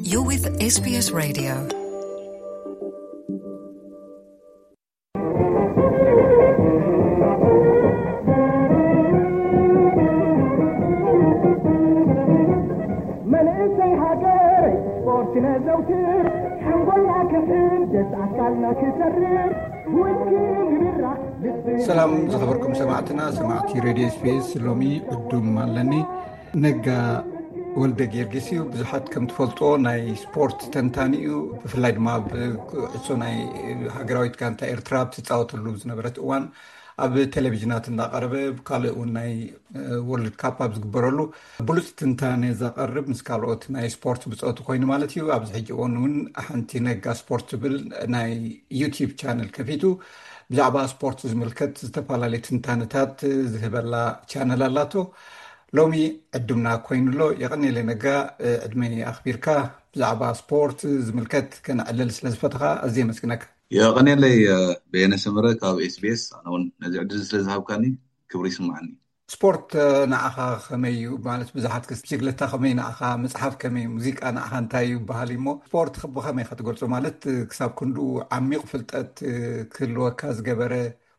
You're with S B S Radio. መንእሰይ ሃገር ስፖርት ነዘውትር፣ ሓንጎልና ክሕደስ ኣካልና ክሰርር፣ ውድቂ ምብራህ ልቢ። ሰላም ዝኸበርኩም ሰማዕትና፣ ሰማዕቲ ሬድዮ ኤስ ቢ ኤስ፣ ሎሚ ዕዱም ኣለኒ። ነጋ ወልደ ጊዮርጊስ እዩ። ብዙሓት ከም ትፈልጦ ናይ ስፖርት ተንታኒ እዩ። ብፍላይ ድማ ኣብ ኩዕሶ ናይ ሃገራዊት ጋንታ ኤርትራ ኣብ ትጻወተሉ ዝነበረት እዋን ኣብ ቴሌቪዥናት እንዳቐረበ፣ ካልእ እውን ናይ፣ እ፣ ወርልድ ካፕ ኣብ ዝግበረሉ ብሉጽ ትንታነ ዘቐርብ፣ ምስ ካልኦት ናይ ስፖርት ብጾቱ ኮይኑ ማለት እዩ። ኣብዚ ሕጂ እዋን እውን ሓንቲ ነጋ ስፖርት ትብል ናይ ዩቲዩብ ቻነል ከፊቱ ብዛዕባ ስፖርት ዝምልከት ዝተፈላለዩ ትንታነታት ዝህበላ ቻነል ኣላቶ። ሎሚ ዕዱምና ኮይኑ ኣሎ። የቐንየለይ ነጋ፣ እ፣ ዕድመይ ኣኽቢርካ ብዛዕባ ስፖርት ዝምልከት ከነዕልል ስለ ዝፈተኻ ኣዝየ የመስግነካ። የቐንየለይ፣ እ፣ በየነ ሰመረ ካብ ኤስ ቢ ኤስ። ኣነ እውን ነዚ ዕድል ስለ ዝሃብካኒ ክብሪ ይስምዓኒ። ስፖርት፣ እ፣ ንዓኻ ከመይ እዩ? ማለት ብዙሓት ክስ-፣ ብሽግለታ ከመይ ንዓኻ፣ መጽሓፍ ከመይ፣ ሙዚቃ ንዓኻ እንታይ እዩ ይበሃል እሞ፣ ስፖርት ኸ ብኸመይ ኢኻ ትገልጾ? ማለት፣ እ፣ ክሳብ ክንድኡ ዓሚቕ ፍልጠት፣ እ፣ ክህልወካ ዝገበረ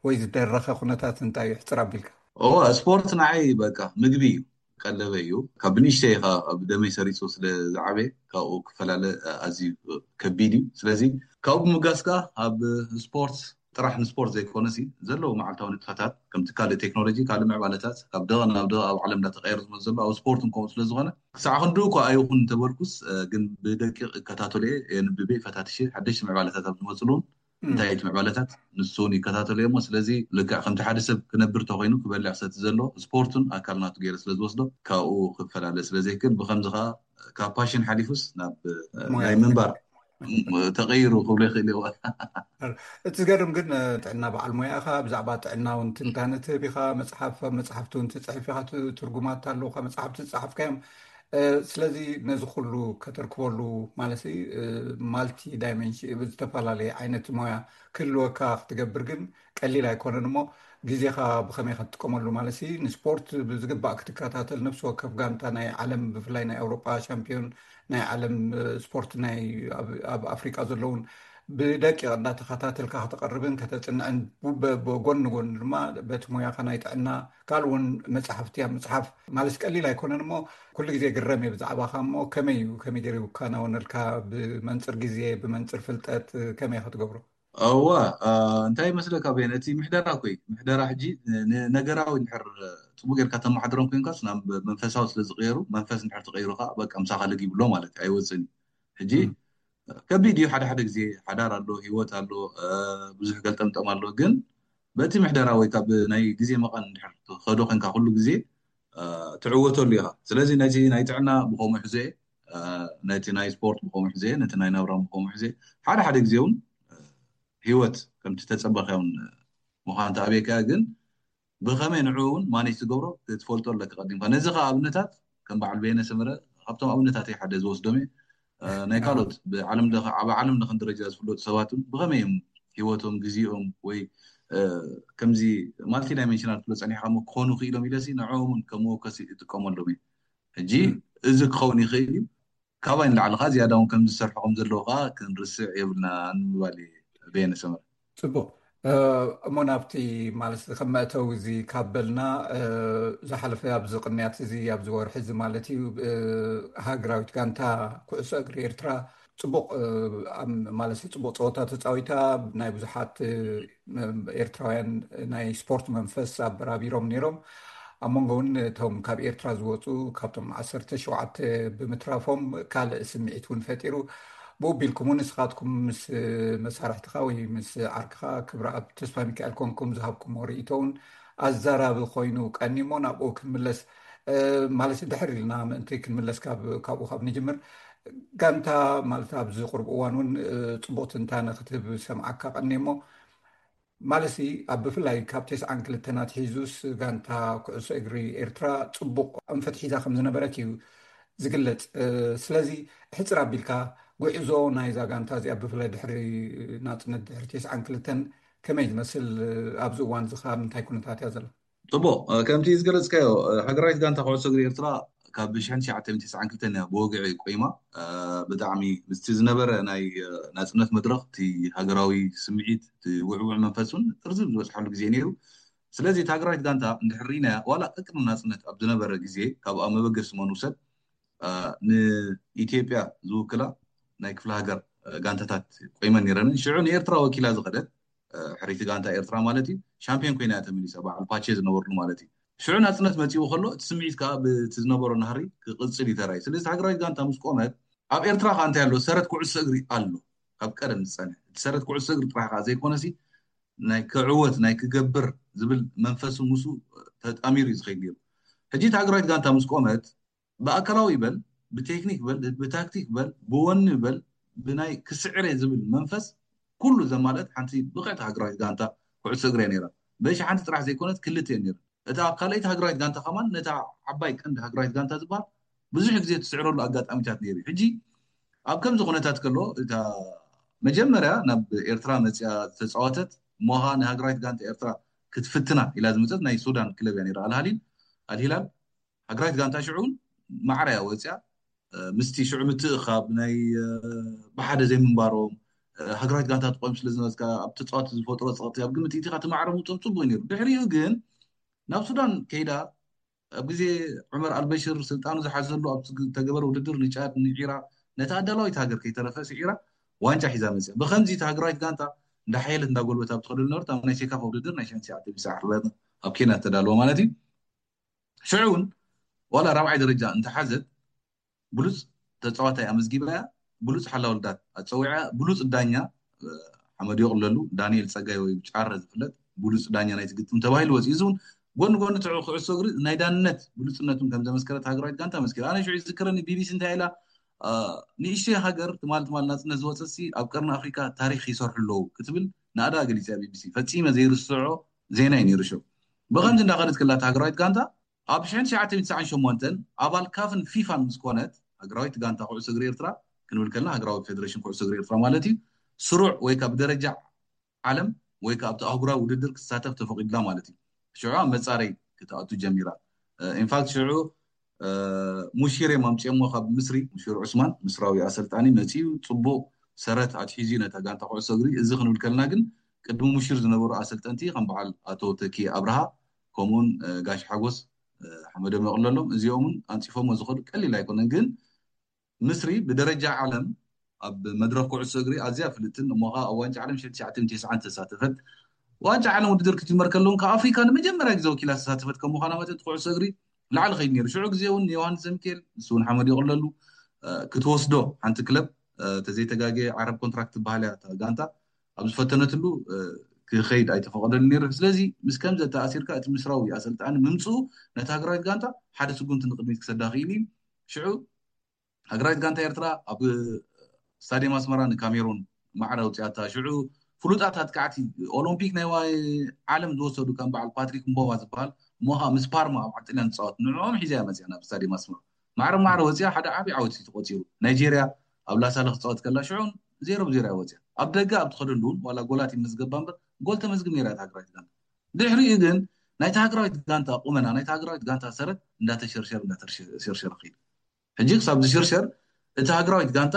ወይ ዝደረኸ ኩነታት እንታይ እዩ? ሕጽር ኣቢልካ። እወ፣ ስፖርት ንዓይ በቃ ምግቢ እዩ፣ ቀለበ እዩ። ካብ ብንእሽተይ ኢኻ ኣብ ደመይ ሰሪጹ ስለ ዝዓበየ፣ ካብኡ ክፈላለ ኣዝዩ ከቢድ እዩ። ስለዚ ካብኡ ብምጋስ ከኣ ኣብ ስፖርት ጥራሕ ንስፖርት ዘይኮነሲ፣ ዘለዉ መዓልታዊ ንጥፈታት፣ ከምቲ ካልእ ቴክኖሎጂ፣ ካልእ ምዕባለታት፣ ካብ ደቐ ናብ ደቐ ኣብ ዓለም እንዳተቐየረ ዝመጽእ ዘሎ፣ ኣብ ስፖርት እውን ከምኡ ስለ ዝኾነ፣ ክሳዕ ክንድኡ እኳ ኣይኹን እንተበልኩስ፣ እ፣ ግን ብደቂቕ እከታተሎ እየ፣ የንብብ እየ፣ ፈታትሽ እየ፣ ሓደሽቲ ምዕባለታት ኣብ ዝመጽሉ እውን፣ እም። እንታይ እቲ ምዕባለታት፣ ንሱ እውን ይከታተሎ እየ እሞ፣ ስለዚ ልክዕ ከምቲ ሓደ ሰብ ክነብር ተኾይኑ፣ ክበልዕ ክሰቲ ዘሎ፣ ስፖርት እውን ኣካል ናቱ ገይረ ስለ ዝወስዶ፣ ካብኡ ክፈላለ ስለ ዘይክእል፣ ብኸምዚ ኸኣ ካብ ፓሽን ሓሊፉስ ናብ፣ እ፣ ሞያ ናይ ምንባር ተቐይሩ ክብሎ ይኽእል እዩ። እቲ ዝገርም ግን፣ እ፣ ጥዕና በዓል ሞያ ኢኻ፣ ብዛዕባ ጥዕና እውን ትንታነ ትህብ ኢኻ፣ መጽሓፍ፣ መጽሓፍቲ እውን ትጽሕፍ ኢኻ፣ ት-፣ ትርጉማት ኣለውኻ፣ መጽሓፍቲ ዝጸሓፍካዮም። እ፣ ስለዚ ነዚ ኩሉ ከተርክበሉ ማለት፣ እ፣ ማልቲ ዳይሜንሽ-፣ ዝተፈላለየ ዓይነት ሞያ ክህልወካ ክትገብር ግን ቀሊል ኣይኮነን እሞ፣ ግዜኻ ብኸመይ ክትጥቀመሉ ማለት ሲ፣ ንስፖርት ብዝግባእ ክትከታተል፣ ነፍሲ ወከፍ ጋንታ ናይ ዓለም፣ ብፍላይ ናይ ኣውሮጳ ሻምፒዮን ናይ ዓለም፣ እ፣ ስፖርት ናይ ኣብ፣ ኣብ ኣፍሪቃ ዘለውን ብደቂቕ እንዳተኸታተልካ ከተቕርብን ከተጽንዕን፣ ብ-፣ ብ-፣ ጎኒ ጎኒ ድማ በቲ ሞያኻ ናይ ጥዕና ካልእ እውን መጽሓፍቲ ኣብ ምጽሓፍ ማለት ቀሊል ኣይኮነን እሞ፣ ኩሉ ግዜ ግረም እየ ብዛዕባኻ እሞ፣ ከመይ እዩ፣ ከመይ ገይሩ ይከናወነልካ? ብመንጽር ግዜ፣ ብመንጽር ፍልጠት፣ እ፣ ከመይ ኢኻ ትገብሮ? እዋ፣ እ፣ እንታይ ይመስለካ በየነ፣ እቲ ምሕደራ እኮ እዩ። ምሕደራ ሕጂ ን-፣ ንነገራዊ እንድሕር ጽቡቅ ጌርካ ተመሓድሮም ኮንካስ ናብ መንፈሳዊ ስለ ዝቕየሩ፣ መንፈስ እንድሕር ተቐይሩ ከኣ በቃ ምሳኻ ለጊቡ ኣሎ ማለት እዩ፣ ኣይወጽእን እዩ። ሕጂ እም። ከቢድ እዩ፣ ሓደ ሓደ ግዜ ሓዳር ኣሎ፣ ህይወት ኣሎ፣ እ፣ ብዙሕ ገልጠምጠም ኣሎ። ግን በቲ ምሕደራ ወይ ካብ ናይ ግዜ መቐን እንድሕር ትኸዶ ኮንካ ኩሉ ግዜ፣ እ፣ ትዕወተሉ ኢኻ። ስለዚ ነቲ ናይ ጥዕና ብኸምኡ ሕዞ እየ፣ እ፣ ነቲ ናይ ስፖርት ብኸምኡ ሕዞ እየ፣ ነቲ ናይ ናብራ ብኸምኡ ሕዞ እየ። ሓደ ሓደ ግዜ እውን፣ እ፣ ህይወት ከምቲ ተጸበኻዮን ምዃን ተኣብየካ፣ ግን ብኸመይ ንዕኡ እውን ማኔጅ ትገብሮ ክትፈልጦ ኣለካ ቀዲምካ። ነዚ ከዓ ኣብነታት ከም በዓል በየነ ሰመረ ካብቶም ኣብነታተይ ሓደ ዝወስዶም እየ። እ፣ ናይ ካልኦት ብዓለም ለኸ ኣብ ዓለም ለኸን ደረጃ ዝፍለጡ ሰባት እውን ብኸመይ እዮም ህይወቶም፣ ግዜኦም ወይ እ፣ ከምዚ ማልቲ ዳይሜንሽናል ክብሎ ጸኒሕካ እሞ ክኾኑ ክኢሎም ኢለሲ ንዕኦም እውን ከም መወከሲ እጥቀመሎም እየ። ሕጂ እዚ ክኸውን ይኽእል እዩ። ካባይ ንላዕሊ ከዓ ዝያዳ እውን ከም ዝሰርሑ ከም ዘለዎ ከዓ ክንርስዕ የብልና ንምባል እየ። በየነ ሰመረ። ጽቡቕ። እ፣ እሞ ናብቲ ማለት ከም መእተዊ እዚ ካብ በልና፣ እ፣ ዝሓለፈ ኣብዚ ቅንያት እዚ ኣብዚ ወርሒ እዚ ማለት እዩ፣ እ፣ ሃገራዊት ጋንታ ኩዕሶ እግሪ ኤርትራ ጽቡቕ፣ እ፣ ኣብ ማለት ጽቡቕ ጸወታ ተጻዊታ፣ ናይ ብዙሓት፣ እ፣ ኤርትራውያን ናይ ስፖርት መንፈስ ኣበራቢሮም ነይሮም። ኣብ መንጎ እውን እቶም ካብ ኤርትራ ዝወፁ ካብቶም ዓሰርተ ሸውዓተ ብምትራፎም ካልእ ስምዒት እውን ፈጢሩ። ብኡ ቢልኩም እውን ንስኻትኩም ምስ መሳርሕትኻ ወይ ምስ ዓርክኻ ክብረኣብ ተስፋ ሚካኤል ኮንኩም ዝሃብኩምዎ ርእይቶ እውን ኣዛራቢ ኮይኑ ቀኒሞ ናብኡ ክንምለስ፣ እ፣ ማለት ድሕር ኢልና ምእንቲ ክንምለስ ካብ፣ ካብኡ ካብ ንጅምር። ጋንታ ማለት ኣብዚ ቁርብ እዋን እውን፣ እ፣ ጽቡቕ ትንታነ ክትህብ ሰምዓካ ቀኒሞ። ማለትሲ ኣብ ብፍላይ ካብ ተስዓን ክልተን ኣትሒዙስ ጋንታ ኩዕሶ እግሪ ኤርትራ ጽቡቕ ኣንፈት ሒዛ ከም ዝነበረት እዩ ዝግለጽ። እ፣ ስለዚ ሕጽር ኣቢልካ ጉዕዞ ናይዛ ጋንታ እዚኣ ብፍላይ ድሕሪ ናጽነት ድሕሪ ተስዓን ክልተን ከመይ ዝመስል፣ እ፣ ኣብዚ እዋን እዚ ከ ኣብ ምንታይ ኩነታት እያ ዘላ? ጽቡቕ፣ እ፣ ከምቲ ዝገለጽካዮ፣ እ፣ ሃገራዊት ጋንታ ኩዕሶ እግሪ ኤርትራ ካብ ሽሕን ትሽዓተ ሚእትን ተስዓን ክልተን እያ ብወግዒ ቆይማ። እ፣ ብጣዕሚ ምስቲ ዝነበረ ናይ፣ እ፣ ናጽነት መድረኽ፣ እቲ ሃገራዊ ስምዒት፣ እቲ ውዕውዕ መንፈስ እውን ጥርዚ ዝበጽሓሉ ግዜ ነይሩ። ስለዚ እታ ሃገራዊት ጋንታ እንድሕር ርኢናያ፣ ዋላ ቅድሚ ናጽነት ኣብ ዝነበረ ግዜ፣ ካብ ኣብ መበገሲ መን ውሰድ፣ እ፣ ንኢትዮጵያ ዝውክላ ናይ ክፍለ ሃገር፣ እ፣ ጋንታታት ቆይመን ነይረንን። ሽዑ ንኤርትራ ወኪላ ዝኸደት፣ እ፣ ሕርይቲ ጋንታ ኤርትራ ማለት እዩ፣ ሻምፒዮን ኮይና እያ ተመሊሳ፣ በዓል ፓቼ ዝነበርሉ ማለት እዩ። ሽዑ ናጽነት መጺኡ ከሎ፣ እቲ ስምዒት ከኣ ብቲ ዝነበሮ ናህሪ ክቕጽል እዩ ተራእዩ። ስለዚ ሃገራዊት ጋንታ ምስ ቆመት፣ ኣብ ኤርትራ ከኣ እንታይ ኣሎ? ሰረት ኩዕሶ እግሪ ኣሎ፣ ካብ ቀደም ዝጸንሐ። እቲ ሰረት ኩዕሶ እግሪ ጥራሕ ከኣ ዘይኮነሲ፣ ናይ ክዕወት፣ ናይ ክገብር ዝብል መንፈስ ምስኡ ተጣሚሩ እዩ ዝኸይድ ነይሩ። ሕጂ እቲ ሃገራዊት ጋንታ ምስ ቆመት፣ ብኣካላዊ በል፣ ብቴክኒክ በል፣ ብታክቲክ በል፣ ብወኒ በል፣ ብናይ ክስዕር እየ ዝብል መንፈስ ኩሉ ዘማልአት ሓንቲ ብቕዕቲ ሃገራዊት ጋንታ ኩዕሶ እግሪ እያ ነይራ። በሻሓንቲ ጥራሕ ዘይኮነት ክልተ እየን ነይረን። እታ ካልኣይቲ ሃገራዊት ጋንታ ከማን ነታ ዓባይ ቀንዲ ሃገራዊት ጋንታ ዝበሃል ብዙሕ ግዜ ትስዕረሉ ኣጋጣሚታት ነይሩ እዩ። ሕጂ ኣብ ከምዚ ኩነታት ከሎ እታ መጀመርያ ናብ ኤርትራ መጽያ ዝተጻወተት እሞ ኸኣ ንሃገራዊት ጋንታ ኤርትራ ክትፍትና ኢላ ዝመጸት ናይ ሱዳን ክለብ እያ ነይራ፣ ኣልሃሊል፣ ኣልሂላል። ሃገራዊት ጋንታ ሽዑ እውን ማዕረ እያ ወጽያ። እ፣ ምስቲ ሽዑ ምትእኻብ ናይ፣ እ፣ ብሓደ ዘይምንባሮም፣ እ፣ ሃገራዊት ጋንታ ትቆም ስለ ዝነበርካ ኣብ ተጻወቲ ዝፈጥሮ ጸቕጢ ኣብ ግምት ኢቲኻ እቲ ማዕረ ምውጾም ጽቡቕ እዩ ነይሩ። ድሕሪኡ ግን ናብ ሱዳን ከይዳ ኣብ ግዜ ዑመር ኣልበሽር ስልጣኑ ዝሓዘሉ ኣብ ዝተገበረ ውድድር ንጫድ ንዒራ ነታ ኣዳላዊት ሃገር ከይተረፈ ስዒራ ዋንጫ ሒዛ መጽያ። ብኸምዚ እታ ሃገራዊት ጋንታ እንዳሓየለት እንዳጎልበት ኣብ ትኸደሉ ነበረት ኣብ ናይ ሴካፋ ውድድር ናይ ሽሕን ትሽዓተ ሚእትን ዓሰርተ ኣርባዕተን ኣብ ኬንያ እተዳለወ ማለት እዩ። ሽዑ እውን ዋላ ራብዓይ ደረጃ እንተሓዘት ብሉጽ ተጻዋታይ ኣመዝጊባ እያ። ብሉጽ ሓላውልዳት ኣጸዊዓ፣ ብሉጽ ዳኛ፣ እ፣ ሓመድ ይቕለሉ፣ ዳንኤል ጸጋይ ወይ ብጫረ ዝፍለጥ ብሉጽ ዳኛ ናይቲ ግጥም ተባሂሉ ወጺኡ። እዚ እውን ጎኒ ጎኒ ትዕ-፣ ኩዕሶ እግሪ ናይ ዳንነት ብሉጽነቱን ከም ዘመስከረት ሃገራዊት ጋንታ መስኪራ። ኣነ ሽዑ ይዝክረኒ ቢቢሲ እንታይ ኢላ፣ እ፣ ንእሽተይ ሃገር ትማል ትማል ናጽነት ዝወጸሲ ኣብ ቀርኒ ኣፍሪካ ታሪክ ይሰርሑ ኣለዉ ክትብል ናእዳ ገሊጻ ቢቢሲ። ፈጺመ ዘይርስዖ ዜና እዩ ነይሩ ሽዑ። ብኸምዚ እንዳኸደት ከላ እታ ሃገራዊት ጋንታ ኣብ ሽሕን ትሽዓተ ሚእትን ትስዓን ሸሞንተን ኣባል ካፍን ፊፋን ምስ ኮነት፣ ሃገራዊት ጋንታ ኩዕሶ እግሪ ኤርትራ ክንብል ከለና ሃገራዊ ፌደሬሽን ኩዕሶ እግሪ ኤርትራ ማለት እዩ፣ ስሩዕ ወይ ከኣ ብደረጃ ዓለም ወይ ከኣ ኣብቲ ኣህጉራዊ ውድድር ክትሳተፍ ተፈቒዱላ ማለት እዩ። ሽዑ ኣብ መጻረይ ክትኣቱ ጀሚራ። እ፣ ኢንፋክት ሽዑ፣ እ፣ ሙሺር እዮም ኣምጺኦሞ ካብ ምስሪ፣ ሙሺር ዑስማን፣ ምስራዊ ኣሰልጣኒ መጺኡ፣ ጽቡቕ ሰረት ኣትሒዙ ነታ ጋንታ ኩዕሶ እግሪ። እዚ ክንብል ከለና ግን ቅድሚ ሙሺር ዝነበሩ ኣሰልጠንቲ ከም በዓል ኣቶ ተኪ ኣብርሃ፣ ከምኡውን፣ እ፣ ጋሽ ሓጎስ፣ እ፣ ሓመዶም የቕለሎም፣ እዚኦም እውን ኣንጺፎሞ ዝኸዱ ቀሊል ኣይኮነን። ግን ምስሪ ብደረጃ ዓለም ኣብ መድረኽ ኩዕሶ እግሪ ኣዝያ ፍልጥትን እሞ ኸኣ ኣብ ዋንጫ ዓለም ሽሕን ትሽዓተ ሚእትን ተስዓን ዝተሳተፈት፣ ዋንጫ ዓለም ውድድር ክጅመር ከለውን ካብ ኣፍሪካ ንመጀመርያ ግዜ ወኪላ ዝተሳተፈት ከም ምዃና መጠን እቲ ኩዕሶ እግሪ ላዕሊ ከይድ ነይሩ። ሽዑ ግዜ እውን ዮሃንስ ዘሚካኤል፣ ንሱ እውን ሓመድ ይቕለሉ፣ እ፣ ክትወስዶ ሓንቲ ክለብ፣ እ፣ ተዘይተጋግየ ዓረብ ኮንትራክት ትበሃል እያ እታ ጋንታ፣ ኣብ ዝፈተነትሉ፣ እ፣ ክኸይድ ኣይተፈቐደሉ ነይሩ። ስለዚ ምስ ከምዚ ኣተኣሲርካ እቲ ምስራዊ ኣሰልጣኒ ምምፅኡ ነታ ሃገራዊት ጋንታ ሓደ ስጉምቲ ንቕድሚት ክሰዳ ክኢሉ እዩ። ሽዑ ሃገራዊት ጋንታ ኤርትራ ኣብ ስታድየም ኣስመራ ንካሜሩን ማዕረ ኣውፅኣታ። ሽዑ ፍሉጣት ኣጥቃዕቲ ኦሎምፒክ ናይ ዋ- ዓለም ዝወሰዱ ከም በዓል ፓትሪክ ምቦማ ዝበሃል፣ እሞ ከዓ ምስ ፓርማ ኣብ ዓዲ ጥልያን ዝፃወት፣ ንዕኦም ሒዛ እያ መፅያ ናብ ስታዲየም ኣስመራ። ማዕረ ማዕረ ወፅያ ሓደ ዓብዪ ዓወት እዩ ተቆፂሩ። ናይጄርያ ኣብ ላሳለ ክፃወት ከላ ሽዑን ዜሮ ብዜሮ እያ ወፅያ። ኣብ ደገ ኣብ ትኸደሉ እውን ዋላ ጎላት ይመዝገባ እምበር ጎል ተመዝግብ ነይራ እታ ሃገራዊት ጋንታ። ድሕሪኡ ግን ናይታ ሃገራዊት ጋንታ ቁመና፣ ናይታ ሃገራዊት ጋንታ ሰረት እንዳተሸርሸር እንዳተሸርሸር ከይዱ። ሕጂ ክሳብ ዝሽርሸር እቲ ሃገራዊት ጋንታ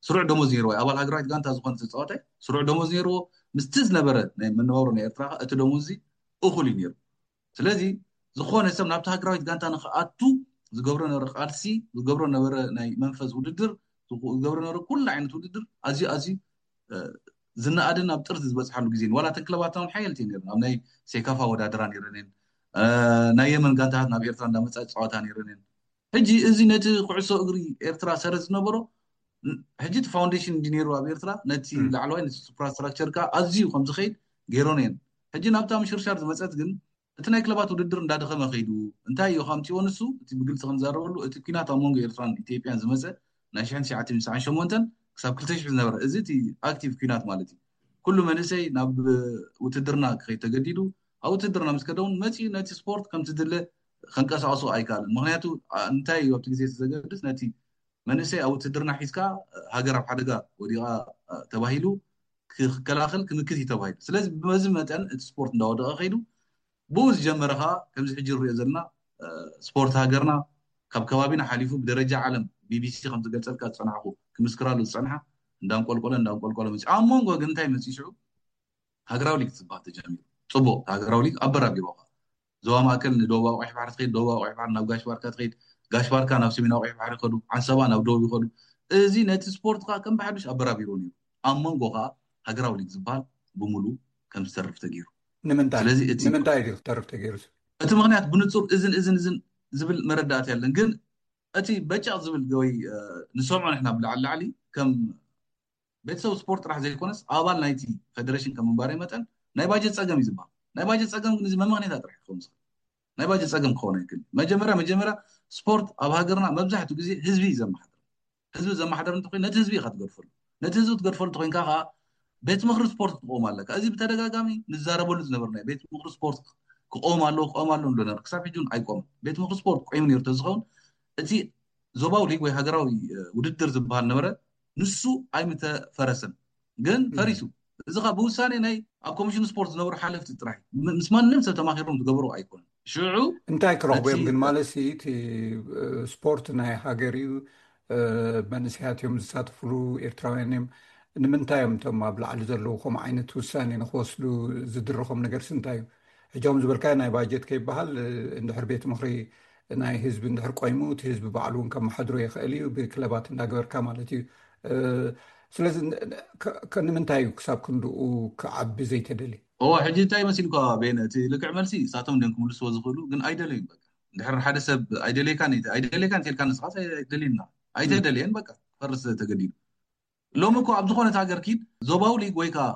ስሩዕ ደሞዝ ነይርዎ። ኣባል ሃገራዊት ጋንታ ዝኾነ ተፃዋታይ ስሩዕ ደሞዝ ነይርዎ። ምስቲ ዝነበረ ናይ መነባብሮ ናይ ኤርትራ ከኣ እቲ ደሞዝ እዚ እኹል እዩ ነይሩ። ስለዚ ዝኾነ ሰብ ናብቲ ሃገራዊት ጋንታ ንክኣቱ ዝገብሮ ነበረ ቃልሲ፣ ዝገብሮ ነበረ ናይ መንፈስ ውድድር፣ ዝገብሮ ነበረ ኩሉ ዓይነት ውድድር ኣዝዩ ኣዝዩ ዝነኣድን ኣብ ጥርዚ ዝበፅሓሉ ግዜ እዩ። ዋላ እተን ክለባት እውን ሓየልቲ እየን ነይረን። ኣብ ናይ ሴካፋ ወዳደራ ነይረን እየን። ናይ የመን ጋንታታት ናብ ኤርትራ እንዳመፃ ፃወታ ነይረን እየን። ሕጂ እዚ ነቲ ኩዕሶ እግሪ ኤርትራ ሰረት ዝነበሮ ሕጂ እቲ ፋውንዴሽን እንዲ ነይሩ ኣብ ኤርትራ ነቲ ላዕለዋይ ነቲ ሱፕራስትራክቸር ከዓ ኣዝዩ ከም ዝኸይድ ገይሮን እየን። ሕጂ ናብታ ምሽርሻር ዝመፀት ግን እቲ ናይ ክለባት ውድድር እንዳደኸመ ከይዱ እንታይ እዩ ከምፅዎ ንሱ እቲ ብግልፂ ክንዛረበሉ እቲ ኲናት ኣብ መንጎ ኤርትራን ኢትዮጵያን ዝመፀ ናይ ሽሕን ትሽዓተ ሚእትን ትስዓን ሸሞንተን ክሳብ ክልተ ሽሕ ዝነበረ እዚ እቲ ኣክቲቭ ኲናት ማለት እዩ። ኩሉ መንእሰይ ናብ ውትድርና ክኸይድ ተገዲዱ። ኣብ ውትድርና ምስ ከደ እውን መፂኡ ነቲ ስፖርት ከምቲ ድለ ከንቀሳቕሶ ኣይከኣልን። ምክንያቱ እንታይ እዩ ኣብቲ ግዜ ዘገድስ ነቲ መንእሰይ ኣብ ውትድርና ሒዝካ ሃገር ኣብ ሓደጋ ወዲቓ ተባሂሉ ክከላኸል ክምክት እዩ ተባሂሉ። ስለዚ በዚ መጠን እቲ ስፖርት እንዳወደቐ ከይዱ ብኡ ዝጀመረ ከዓ ከምዚ ሕጂ ንሪኦ ዘለና ስፖርት ሃገርና ካብ ከባቢና ሓሊፉ ብደረጃ ዓለም ቢቢሲ ከም ዝገልጸልካ ዝጸናሕኩ ክምስክራሉ ዝጸንሓ እንዳንቆልቆለ እንዳንቆልቆለ መፂ ኣብ መንጎ ግን እንታይ መፂ ሽዑ ሃገራዊ ሊግ ዝበሃል ተጀሚሩ። ፅቡቅ ሃገራዊ ሊግ ኣበራቢሮካ ዞባ ማእከል ንደቡባዊ ቀይሕ ባሕሪ ትኸይድ፣ ደቡባዊ ቀይሕ ባሕሪ ናብ ጋሽ ባርካ ትኸይድ፣ ጋሽ ባርካ ናብ ሰሜናዊ ቀይሕ ባሕሪ ይኸዱ፣ ዓንሰባ ናብ ደቡብ ይኸዱ። እዚ ነቲ ስፖርት ከዓ ከም ብሓዱሽ ኣበራቢሮ ነይሩ። ኣብ መንጎ ከዓ ሃገራዊ ሊግ ዝበሃል ብምሉ ከም ዝተርፍ ተገይሩ። ንምንታይ ስለዚ እቲ ንምንታይ እዩ ክተርፍ ተገይሩ? እቲ ምክንያት ብንጹር እዝን እዝን እዝን ዝብል መረዳእታ የለን። ግን እቲ በጫቕ ዝብል ወይ ንሰምዖ ንሕና ብላዕሊ ላዕሊ ከም ቤተሰብ ስፖርት ጥራሕ ዘይኮነስ ኣባል ናይቲ ፌደሬሽን ከም ምንባረይ መጠን ናይ ባጀት ፀገም እዩ ዝበሃል። ናይ ባጀት ፀገም ግን እዚ መመክኔታ ጥራሕ ክኸውን ዝኽእል ናይ ባጀት ፀገም ክኸውን ኣይክእል። መጀመርያ መጀመርያ ስፖርት ኣብ ሃገርና መብዛሕትኡ ግዜ ህዝቢ እዩ ዘመሓደር። ህዝቢ ዘመሓደር እንተኮይኑ ነቲ ህዝቢ ኢካ ትገድፈሉ። ነቲ ህዝቢ ትገድፈሉ እንተኮይንካ ከዓ ቤት ምክሪ ስፖርት ክቆም ኣለካ። እዚ ብተደጋጋሚ ንዛረበሉ ዝነበርና ቤት ምክሪ ስፖርት ክቆም ኣለዎ ክቆም ኣለዎ ንብሎ ነበር። ክሳብ ሕጂ እውን ኣይቆምን። ቤት ምክሪ ስፖርት ቆይሙ ነይሩ ተዝኸውን እቲ ዞባዊ ሊግ ወይ ሃገራዊ ውድድር ዝበሃል ነበረ። ንሱ ኣይምተፈረሰን ግን ፈሪሱ። እዚ ካ ብውሳኔ ናይ ኣብ ኮሚሽን ስፖርት ዝነበሩ ሓለፍቲ ጥራሕ ምስ ማንም ሰብ ተማኪሮም ዝገበሩ ኣይኮኑን። ሽዑ እንታይ ክረኽቡ እዮም ግን ማለት እቲ ስፖርት ናይ ሃገር እዩ። መንእሰያት እዮም ዝሳተፍሉ፣ ኤርትራውያን እዮም። ንምንታይ እዮም እቶም ኣብ ላዕሊ ዘለዉ ከምኡ ዓይነት ውሳኔ ንክወስዱ ዝድርኾም ነገርስ እንታይ እዩ? ሕጆም ዝበልካዮ ናይ ባጀት ከይበሃል እንድሕር ቤት ምክሪ ናይ ህዝቢ እንድሕር ቆይሙ እቲ ህዝቢ ባዕሉ እውን ከመሓድሮ ይኽእል እዩ። ብክለባት እንዳገበርካ ማለት እዩ። ስለዚ ንምንታይ እዩ ክሳብ ክንድኡ ክዓቢ ዘይተደልየ? እዎ ሕጂ እንታይ መሲልኳ ቤነ እቲ ልክዕ መልሲ እሳቶም እንዲም ክምልስዎ ዝኽእሉ ግን ኣይደለዩን። በቃ እንድሕር ሓደ ሰብ ኣይደለየካን ኣይደለየካን ተልካ ንስኻ ኣይደልዩና ኣይተደለየን በቃ ፈርስ ተገዲዱ። ሎሚ እኮ ኣብ ዝኾነት ሃገር ኪድ ዞባዊ ሊግ ወይ ከዓ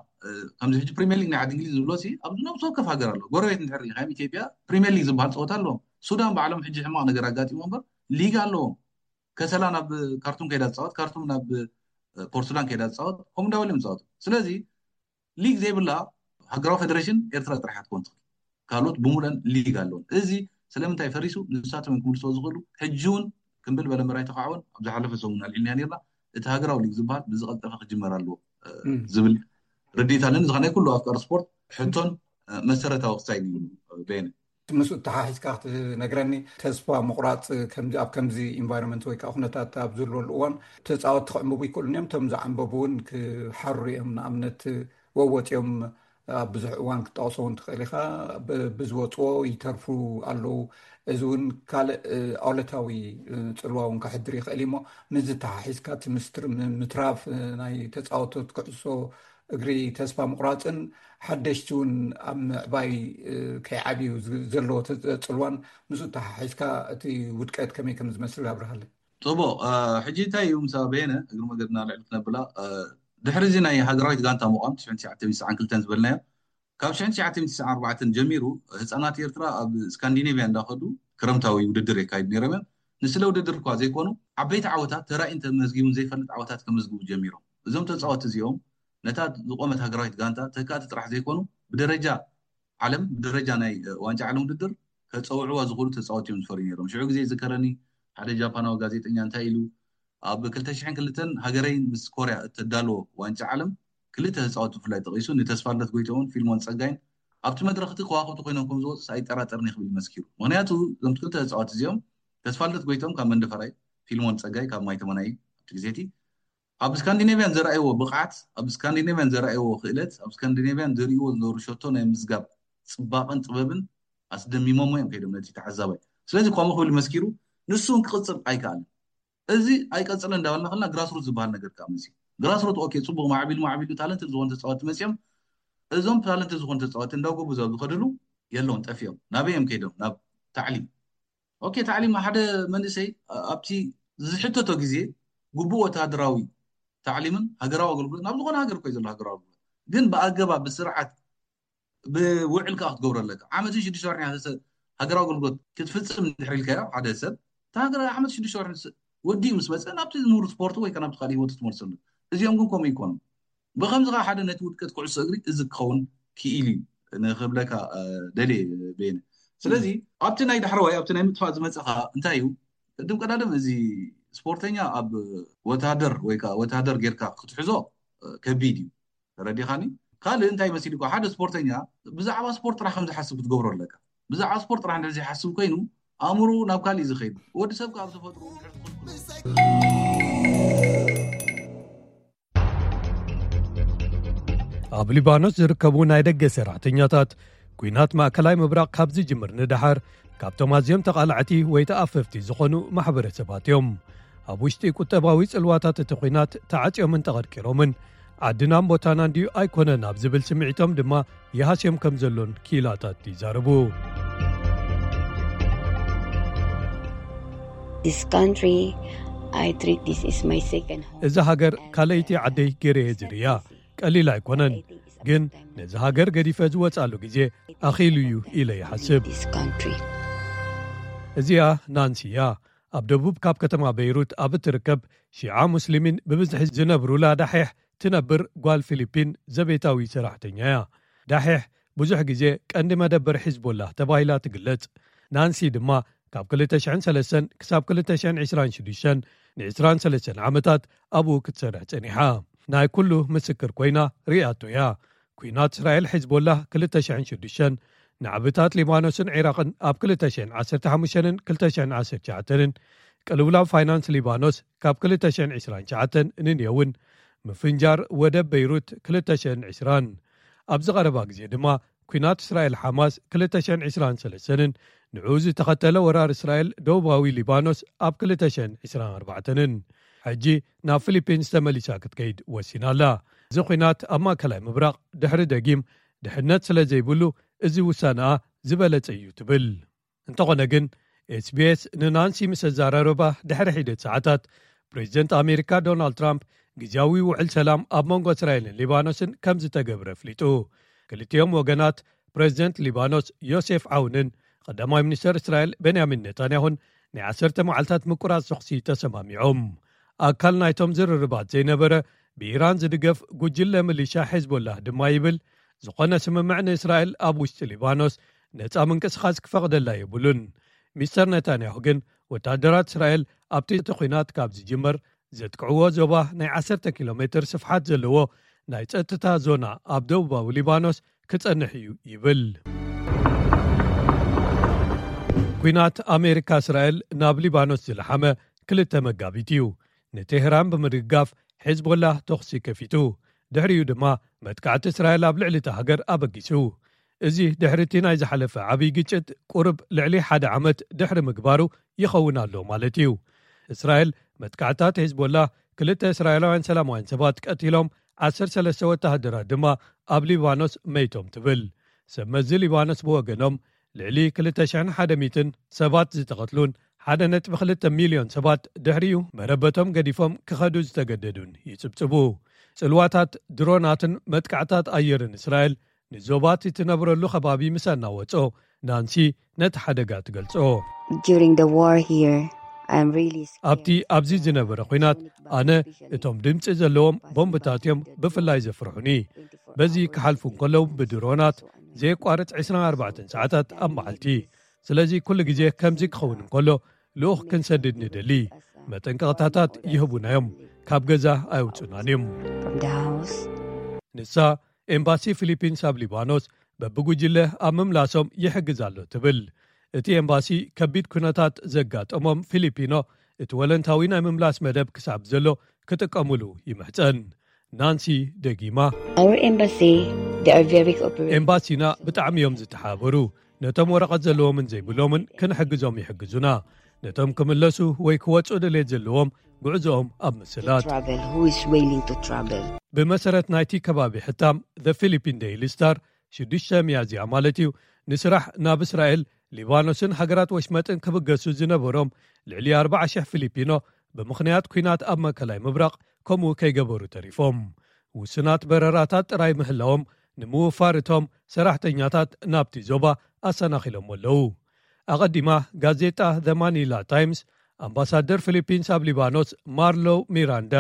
ከምዚ ሕጂ ፕሪሚየር ሊግ ናይ ዓዲ እንግሊዝ ዝብሎ ሲ ኣብ ነብሲ ወከፍ ሃገር ኣሎ። ጎረቤት እንድሕር ሪኢኻ ኢትዮጵያ ፕሪሚየር ሊግ ዝበሃል ፀወታ ኣለዎም። ሱዳን ባዕሎም ሕጂ ሕማቕ ነገር ኣጋጢሞ እምበር ሊግ ኣለዎም። ከሰላ ናብ ካርቱም ከይዳ ትፃወት፣ ካርቱም ናብ ፖርትሱዳን ከይዳ ትፃወት፣ ከምኡ እንዳበሉ እዮም ዝፃወቱ። ስለዚ ሊግ ዘይብላ ሃገራዊ ፌደሬሽን ኤርትራ ጥራሕ እያ ትኮን ትኽእል። ካልኦት ብሙለን ሊግ ኣለዎም። እዚ ስለምንታይ ፈሪሱ ንሳቶም እዮም ክምልስዎ ዝኽእሉ። ሕጂ እውን ክምብል በለ ምራይ ተኻዕወን ኣብ ዝሓለፈ ሰሙን ኣልዒልናያ ነርና። እቲ ሃገራዊ ሊግ ዝበሃል ብዝቐልጠፈ ክጅመር ኣለዎ ዝብል ርድኢት ኣለኒ። እዚ ናይ ኩሉ ኣፍቃሪ ስፖርት ሕቶን መሰረታዊ ክሳይድ እዩ። በየነ ምስኡ ተሓሒዝካ ክትነግረኒ ተስፋ ምቑራፅ ከምዚ ኣብ ከምዚ ኢንቫይሮንመንት ወይ ከዓ ኩነታት ኣብ ዝህልወሉ እዋን ተፃወትቲ ክዕንብቡ ይክእሉን እዮም። እቶም ዝዓንበቡ እውን ክሓሩ እዮም። ንኣብነት ወወፂኦም ኣብ ብዙሕ እዋን ክትጠቕሶ እውን ትኽእል ኢኻ። ብዝወፅዎ ይተርፉ ኣለዉ። እዚ እውን ካልእ ኣውለታዊ ፅልዋ እውን ከሕድር ይኽእል እሞ ምስዚ ተሓሒዝካ እቲ ምስትር ምትራፍ ናይ ተፃወቶት ክዕሶ እግሪ ተስፋ ምቑራፅን ሓደሽቲ እውን ኣብ ምዕባይ ከይዓብዩ ዘለዎ ፅልዋን ምስኡ ተሓሒዝካ እቲ ውድቀት ከመይ ከም ዝመስል ኣብርሃለይ። ፅቡቕ። ሕጂ እንታይ እዩ ምሳ በየነ እግሪ መገድና ልዕሊ ክነብላ ድሕሪ እዚ ናይ ሃገራዊት ጋንታ ምቋም ትሽዓን ትሽዓተ ሚእቲ ትስዓን ክልተን ዝበልናዮ ካብ ትሽዓን ትሽዓተ ሚእቲ ትስዓን ኣርባዕተን ጀሚሩ ህፃናት ኤርትራ ኣብ ስካንዲኔቪያ እንዳኸዱ ክረምታዊ ውድድር የካይዱ ነይሮም እዮም። ንስለ ውድድር እኳ ዘይኮኑ ዓበይቲ ዓወታት ተራእዩ እንተመዝጊቡን ዘይፈልጥ ዓወታት ከመዝግቡ ጀሚሮም። እዞም ተፃወቲ እዚኦም ነታ ዝቆመት ሃገራዊት ጋንታ ተካእቲ ጥራሕ ዘይኮኑ፣ ብደረጃ ዓለም፣ ብደረጃ ናይ ዋንጫ ዓለም ውድድር ከፀውዕዋ ዝኽእሉ ተፃወቲ እዮም ዝፈርዩ ነይሮም። ሽዑ ግዜ ዝከረኒ ሓደ ጃፓናዊ ጋዜጠኛ እንታይ ኢሉ፣ ኣብ ክልተ ሽሕን ክልተን ሃገረይ ምስ ኮርያ እተዳልዎ ዋንጫ ዓለም ክልተ ተፃወቲ ብፍላይ ጠቒሱ፣ ንተስፋልደት ጎይቶምን ፊልሞን ፀጋይን ኣብቲ መድረኽ እቲ ከዋኽብቲ ኮይኖም ከም ዝወፁ ኣይጠራጠርን ክብል መስኪሩ። ምክንያቱ እዞም ክልተ ተፃወቲ እዚኦም፣ ተስፋልደት ጎይቶም ካብ መንደፈራይ፣ ፊልሞን ፀጋይ ካብ ማይተመናይ፣ ኣብቲ ግዜቲ ኣብ ስካንዲኔቪያን ዘርኣይዎ ብቕዓት፣ ኣብ ስካንዲኔቪያን ዘርኣይዎ ክእለት፣ ኣብ ስካንዲኔቪያን ዘርእዎ ዝነበሩ ሸቶ ናይ ምዝጋብ ፅባቐን ጥበብን ኣስደሚሞሞ እዮም ከይዶም ነቲ ተዓዛባይ። ስለዚ ከምኡ ክብል መስኪሩ፣ ንሱ እውን ክቕፅል ኣይከኣልን። እዚ ኣይቀፅልን እንዳበልና ከለና ግራስሩት ዝበሃል ነገር ከዓ መፅዩ። ግራስሩት ኦኬ፣ ፅቡቕ፣ ማዕቢሉ ማዕቢሉ ታለንት ዝኾኑ ተፃወቲ መፅዮም። እዞም ታለንት ዝኾኑ ተፃወቲ እንዳጎቡ ዘብ ዝኸድሉ የለውን፣ ጠፊኦም። ናበይ እዮም ከይዶም? ናብ ታዕሊም። ኦኬ፣ ታዕሊም ሓደ መንእሰይ ኣብቲ ዝሕተቶ ግዜ ግቡእ ወተሃደራዊ ታዕሊምን ሃገራዊ ኣገልግሎት ናብ ዝኾነ ሃገር እኮ እዩ ዘሎ ሃገራዊ ኣገልግሎት። ግን ብኣገባብ ብስርዓት ብውዕል ከዓ ክትገብሮ ኣለካ። ዓመትን ሽዱሽተ ወርሒ ሃገራዊ ኣገልግሎት ክትፍፅም ድሕሪ ኢልካዮ ሓደ ሰብ፣ እቲ ሃገር ዓመት ሽዱሽተ ወርሒ ምስ ወዲኡ ምስ መፀ ናብቲ ሙሉ ስፖርት ወይ ከዓ ናብቲ ካልእ ህይወቱ ትመልሰሉ። እዚኦም ግን ከምኡ ይኮኑ። ብከምዚ ከዓ ሓደ ነቲ ውድቀት ኩዕሶ እግሪ እዚ ክኸውን ክኢል እዩ ንክብለካ ደልየ። ቤነ፣ ስለዚ ኣብቲ ናይ ዳሕረዋይ ኣብቲ ናይ ምጥፋእ ዝመፀኻ እንታይ እዩ? ቅድም ቀዳድም እዚ ስፖርተኛ ኣብ ወታደር ወይ ከዓ ወታደር ጌርካ ክትሕዞ ከቢድ እዩ። ተረዲኻኒ? ካልእ እንታይ መሲልካ ሓደ ስፖርተኛ ብዛዕባ ስፖርት ጥራሕ ከም ዝሓስብ ክትገብሮ ኣለካ። ብዛዕባ ስፖርት ጥራሕ እንድሕር ዘይሓስብ ኮይኑ ኣእምሮ ናብ ካልእ ዝኸይድ፣ ወዲ ሰብ ካብ ተፈጥሮ ኣብ ሊባኖስ ዝርከቡ ናይ ደገ ሰራሕተኛታት ኲናት ማእከላይ ምብራቕ ካብ ዝጅምር ንደሓር ካብቶም ኣዝዮም ተቓላዕቲ ወይ ተኣፈፍቲ ዝኾኑ ማሕበረሰባት እዮም። ኣብ ውሽጢ ቁጠባዊ ጽልዋታት እቲ ኲናት ተዓጽዮምን ተቐርቂሮምን ዓድናን ቦታናን ድዩ ኣይኮነን ኣብ ዝብል ስምዒቶም ድማ ይሃስዮም ከም ዘሎን ክኢላታት ይዛረቡ። This country, I treat this is my second home. እዛ ሃገር ካልኣይቲ ዓደይ ገይረ እየ ዝርእያ። ቀሊል ኣይኮነን፣ ግን ነዚ ሃገር ገዲፈ ዝወጻሉ ግዜ ኣኺሉ እዩ ኢለ ይሓስብ። This country. እዚኣ ናንሲ እያ። ኣብ ደቡብ ካብ ከተማ በይሩት ኣብ እትርከብ ሺዓ ሙስሊሚን ብብዝሒ ዝነብሩላ ዳሒሕ ትነብር ጓል ፊሊፒን ዘቤታዊ ሰራሕተኛ እያ። ዳሒሕ ብዙሕ ግዜ ቀንዲ መደበር ሒዝቦላህ ተባሂላ ትግለጽ። ናንሲ ድማ ካብ ክልተ ሽሕን ሰለስተን ክሳብ ክልተ ሽሕን ዕስራን ሽዱሽተን ንዕስራን ሰለስተን ዓመታት ኣብኡ ክትሰርሕ ጸኒሓ። ናይ ኩሉ ምስክር ኮይና ርእያቶ እያ። ኲናት እስራኤል ሒዝቦላህ ክልተ ሽሕን ሽዱሽተን፣ ናዕብታት ሊባኖስን ዒራቕን ኣብ ክልተ ሽሕን ዓሰርተ ሓሙሽተን ክልተ ሽሕን ዓሰርተ ትሽዓተን፣ ቅልውላው ፋይናንስ ሊባኖስ ካብ ክልተ ሽሕን ዕስራን ትሽዓተን ንንየውን፣ ምፍንጃር ወደብ በይሩት ክልተ ሽሕን ዕስራን። ኣብዚ ቀረባ ግዜ ድማ ኲናት እስራኤል ሓማስ ክልተ ሽሕን ዕስራን ሰለስተን፣ ንዕኡ ዝተኸተለ ወራር እስራኤል ደቡባዊ ሊባኖስ ኣብ ክልተ ሽሕን ዕስራን ኣርባዕተን። ሕጂ ናብ ፊሊፒንስ ተመሊሳ ክትከይድ ወሲና ኣላ። እዚ ኲናት ኣብ ማእከላይ ምብራቕ ድሕሪ ደጊም ድሕነት ስለ ዘይብሉ፣ እዚ ውሳነኣ ዝበለጸ እዩ ትብል። እንተኾነ ግን፣ ኤስቢኤስ ንናንሲ ምስ ኣዘራረባ ድሕሪ ሒደት ሰዓታት፣ ፕሬዚደንት ኣሜሪካ ዶናልድ ትራምፕ ግዜያዊ ውዕል ሰላም ኣብ መንጎ እስራኤልን ሊባኖስን ከም ዝተገብረ ኣፍሊጡ። ክልቲኦም ወገናት፣ ፕሬዚደንት ሊባኖስ ዮሴፍ ዓውንን ቀዳማይ ሚኒስተር እስራኤል ቤንያሚን ኔታንያሁን፣ ናይ ዓሰርተ መዓልታት ምቁራጽ ተኹሲ ተሰማሚዖም። ኣካል ናይቶም ዝርርባት ዘይነበረ ብኢራን ዝድገፍ ጉጅለ ሚሊሻ ሒዝቦላህ ድማ ይብል፣ ዝኾነ ስምምዕ ንእስራኤል ኣብ ውሽጢ ሊባኖስ ነጻ ምንቅስቓስ ክፈቕደላ የብሉን። ሚስተር ኔታንያሁ ግን፣ ወታደራት እስራኤል ኣብቲ እቲ ኲናት ካብ ዝጅመር ዘጥቅዕዎ ዞባ ናይ ዓሰርተ ኪሎ ሜትር ስፍሓት ዘለዎ ናይ ጸጥታ ዞና ኣብ ደቡባዊ ሊባኖስ ክጸንሕ እዩ ይብል። ኲናት ኣሜሪካ እስራኤል ናብ ሊባኖስ ዝለሓመ ክልተ መጋቢት እዩ። ንቴህራን ብምድግጋፍ ሒዝቦላህ ተኹሲ ከፊቱ። ድሕሪኡ ድማ መጥቃዕቲ እስራኤል ኣብ ልዕሊ እታ ሃገር ኣበጊሱ። እዚ ድሕሪ እቲ ናይ ዝሓለፈ ዓብዪ ግጭት ቁሩብ ልዕሊ ሓደ ዓመት ድሕሪ ምግባሩ ይኸውን ኣሎ ማለት እዩ። እስራኤል መጥቃዕታት ሒዝቦላህ ክልተ እስራኤላውያን ሰላማውያን ሰባት ቀቲሎም፣ ዓሰርተ ሰለስተ ወተሃደራት ድማ ኣብ ሊባኖስ መይቶም ትብል። ሰብ መዚ ሊባኖስ ብወገኖም፣ ልዕሊ ክልተ ሽሕን ሓደ ሚእትን ሰባት ዝተቐትሉን ሓደ ነጥቢ ክልተ ሚልዮን ሰባት ድሕሪኡ መረበቶም ገዲፎም ክኸዱ ዝተገደዱን ይጽብጽቡ። ጽልዋታት ድሮናትን መጥቃዕታት ኣየርን እስራኤል ንዞባ እቲ ትነብረሉ ከባቢ ምስ ኣናወጾ፣ ናንሲ ነቲ ሓደጋ ትገልጾ። During the war here, I'm really scared. ኣብቲ ኣብዚ ዝነበረ ኲናት ኣነ እቶም ድምፂ ዘለዎም ቦምብታት እዮም ብፍላይ ዘፍርሑኒ። በዚ ክሓልፉ እንከለዉ ብድሮናት ዘየቋርፅ ዕስራን ኣርባዕተን ሰዓታት ኣብ መዓልቲ። ስለዚ ኩሉ ግዜ ከምዚ ክኸውን እንከሎ ልኡኽ ክንሰድድ ንደሊ። መጠንቀቕታታት ይህቡና እዮም፣ ካብ ገዛ ኣይውፅናን እዮም። From the house. ንሳ ኤምባሲ ፊሊፒንስ ኣብ ሊባኖስ በብጉጅለ ኣብ ምምላሶም ይሕግዝ ኣሎ ትብል። እቲ ኤምባሲ ከቢድ ኩነታት ዘጋጠሞም ፊሊፒኖ እቲ ወለንታዊ ናይ ምምላስ መደብ ክሳብ ዘሎ ክጥቀሙሉ ይምሕፀን። ናንሲ ደጊማ Our embassy, they are very cooperative. ኤምባሲና ብጣዕሚ እዮም ዝተሓባበሩ። ነቶም ወረቐት ዘለዎምን ዘይብሎምን ክንሕግዞም ይሕግዙና። ነቶም ክምለሱ ወይ ክወፁ ድሌት ዘለዎም ጉዕዞኦም ኣብ ምስላጥ። Travel, who is willing to travel? ብመሰረት ናይቲ ከባቢ ሕታም The Philippine Daily Star ሽዱሽተ ሚያዝያ ማለት እዩ፣ ንስራሕ ናብ እስራኤል፣ ሊባኖስን ሃገራት ወሽመጥን ክብገሱ ዝነበሮም ልዕሊ ኣርባዓ ሽሕ ፊሊፒኖ ብምኽንያት ኲናት ኣብ ማእከላይ ምብራቕ ከምኡ ከይገበሩ ተሪፎም። ውሱናት በረራታት ጥራይ ምህላዎም ንምውፋር እቶም ሰራሕተኛታት ናብቲ ዞባ ኣሰናኺሎም ኣለዉ። ኣቐዲማ ጋዜጣ The Manila Times ኣምባሳደር ፊሊፒንስ ኣብ ሊባኖስ ማርሎ ሚራንዳ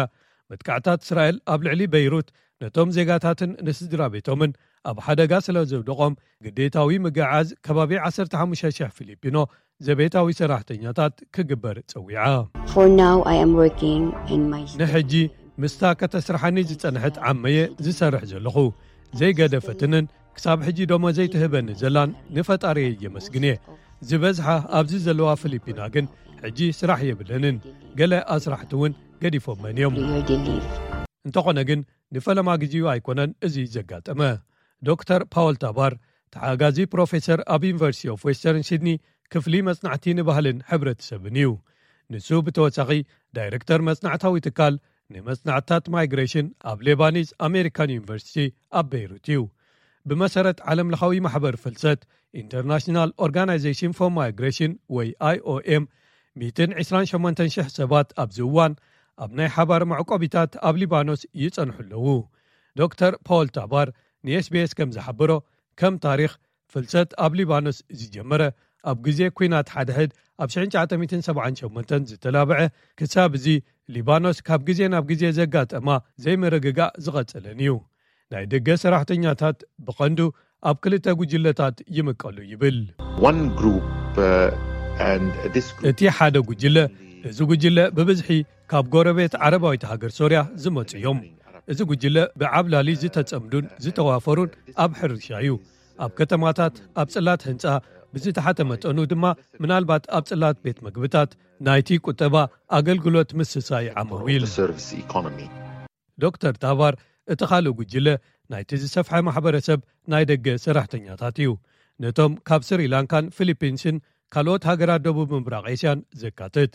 መጥቃዕታት እስራኤል ኣብ ልዕሊ በይሩት ነቶም ዜጋታትን ንስድራ ቤቶምን ኣብ ሓደጋ ስለ ዘውደቖም ግዴታዊ ምግዓዝ ከባቢ ዓሰርተ ሓሙሽተ ሽሕ ፊሊፒኖ ዘቤታዊ ሰራሕተኛታት ክግበር ጸዊዓ። For now, I am working in my ንሕጂ ምስታ ከተስርሓኒ ዝጸንሐት ዓመየ ዝሰርሕ ዘለኹ ዘይገደፈትንን ክሳብ ሕጂ ደሞዘይ ትህበኒ ዘላን ንፈጣሪየ የመስግን እየ። ዝበዝሓ ኣብዚ ዘለዋ ፊሊፒና ግን ሕጂ ስራሕ የብለንን። ገለ ኣስራሕቲ እውን ገዲፎመን እዮም። Prayer they live. እንተኾነ ግን ንፈለማ ግዜኡ ኣይኮነን እዚ ዘጋጠመ። ዶክተር ፓወል ታባር ተሓጋዚ ፕሮፌሰር ኣብ ዩኒቨርሲቲ ኦፍ ዌስተርን ሲድኒ ክፍሊ መጽናዕቲ ንባህልን ሕብረተሰብን እዩ። ንሱ ብተወሳኺ ዳይሬክተር መጽናዕታዊ ትካል ንመጽናዕትታት ማይግሬሽን ኣብ ሌባኒዝ ኣሜሪካን ዩኒቨርሲቲ ኣብ ቤይሩት እዩ። ብመሰረት ዓለምለኻዊ ማሕበር ፍልሰት ኢንተርናሽናል ኦርጋናይዜሽን ፎር ማይግሬሽን ወይ ኣይኦኤም ሚእትን ዕስራን ሸሞንተን ሽሕ ሰባት ኣብዚ እዋን ኣብ ናይ ሓባር መዕቆቢታት ኣብ ሊባኖስ ይጸንሑ ኣለዉ። ዶክተር ፓወል ታባር ንኤስቢኤስ ከም ዝሓበሮ ከም ታሪኽ ፍልሰት ኣብ ሊባኖስ ዝጀመረ ኣብ ግዜ ኲናት ሓድሕድ ኣብ ሽሕን ትሽዓተ ሚእትን ሰብዓን ሸሞንተን ዝተላብዐ ክሳብ እዚ ሊባኖስ ካብ ግዜ ናብ ግዜ ዘጋጠማ ዘይምርግጋእ ዝቐጸለን እዩ። ናይ ደገ ሰራሕተኛታት ብቐንዱ ኣብ ክልተ ጉጅለታት ይምቀሉ ይብል። One group uh, and this group እቲ ሓደ ጉጅለ፣ እዚ ጉጅለ ብብዝሒ ካብ ጎረቤት ዓረባዊት ሃገር ሶርያ ዝመጹ እዮም። እዚ ጉጅለ ብዓብላሊ ዝተጸምዱን ዝተዋፈሩን ኣብ ሕርሻ እዩ። ኣብ ከተማታት፣ ኣብ ጽላት ህንጻ፣ ብዝተሓተ መጠኑ ድማ ምናልባት ኣብ ጽላት ቤት መግብታት ናይቲ ቁጠባ ኣገልግሎት ምስሳይ ዓመዊል። The service economy. ዶክተር ታባር እቲ ካልእ ጉጅለ ናይቲ ዝሰፍሐ ማሕበረሰብ ናይ ደገ ሰራሕተኛታት እዩ። ነቶም ካብ ስሪላንካን ፊሊፒንስን ካልኦት ሃገራት ደቡብ ምብራቕ ኤስያን ዘካትት።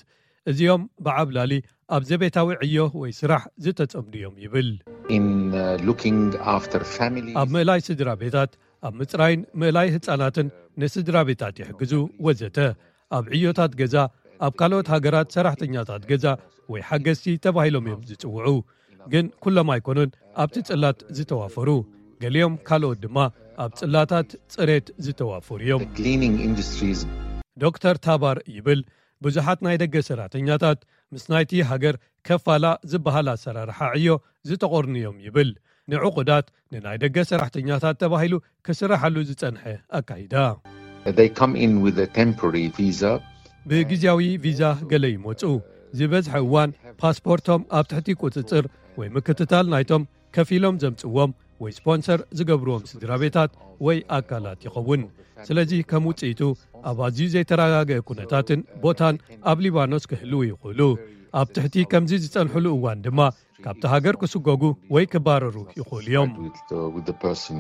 እዚኦም ብዓብላሊ ኣብ ዘቤታዊ ዕዮ ወይ ስራሕ ዝተጸምዱ እዮም ይብል። In uh, looking after families. ኣብ ምእላይ ስድራ ቤታት፣ ኣብ ምጽራይን ምእላይ ህጻናትን ንስድራ ቤታት ይሕግዙ ወዘተ። ኣብ ዕዮታት ገዛ፣ ኣብ ካልኦት ሃገራት ሰራሕተኛታት ገዛ ወይ ሓገዝቲ ተባሂሎም እዮም ዝጽውዑ። ግን ኩሎም ኣይኮኑን ኣብቲ ጽላት ዝተዋፈሩ። ገሊኦም ካልኦት ድማ ኣብ ጽላታት ጽሬት ዝተዋፈሩ እዮም። The cleaning industries. ዶክተር ታባር ይብል ብዙሓት ናይ ደገ ሰራሕተኛታት ምስ ናይቲ ሃገር ከፋላ ዝበሃል ኣሰራርሓ ዕዮ ዝተቖርኑ እዮም ይብል። ንዕቑዳት ንናይ ደገ ሰራሕተኛታት ተባሂሉ ክስራሓሉ ዝጸንሐ ኣካይዳ። They come in with a temporary visa. ብግዜያዊ ቪዛ ገለ ይመጹ። ዝበዝሐ እዋን ፓስፖርቶም ኣብ ትሕቲ ቁጽጽር ወይ ምክትታል ናይቶም ከፊሎም ዘምጽዎም ወይ ስፖንሰር ዝገብርዎም ስድራ ቤታት ወይ ኣካላት ይኸውን። ስለዚ ከም ውጽኢቱ ኣብ ኣዝዩ ዘይተረጋገአ ኩነታትን ቦታን ኣብ ሊባኖስ ክህልዉ ይኽእሉ። ኣብ ትሕቲ ከምዚ ዝጸንሕሉ እዋን ድማ ካብቲ ሃገር ክስጎጉ ወይ ክባረሩ ይኽእሉ እዮም። With, uh, with the person.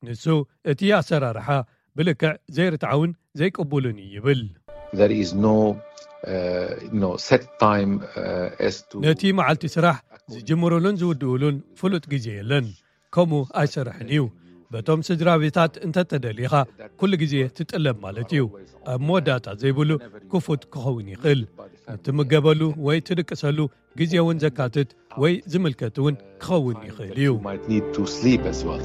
ንሱ እቲ ኣሰራርሓ ብልክዕ ዘይርትዓውን ዘይቅቡልን እዩ ይብል። There is no uh, no set time uh, as to ነቲ መዓልቲ ስራሕ ዝጅምሩሉን ዝውድኡሉን ፍሉጥ ግዜ የለን። ከምኡ ኣይሰርሕን እዩ። በቶም ስድራ ቤታት እንተተደሊኻ ኩሉ ግዜ ትጥለብ ማለት እዩ። ኣብ መወዳእታ ዘይብሉ ክፉት ክኸውን ይኽእል። እትምገበሉ ወይ ትድቅሰሉ ግዜ እውን ዘካትት ወይ ዝምልከት እውን ክኸውን ይኽእል እዩ። You might need to sleep as well.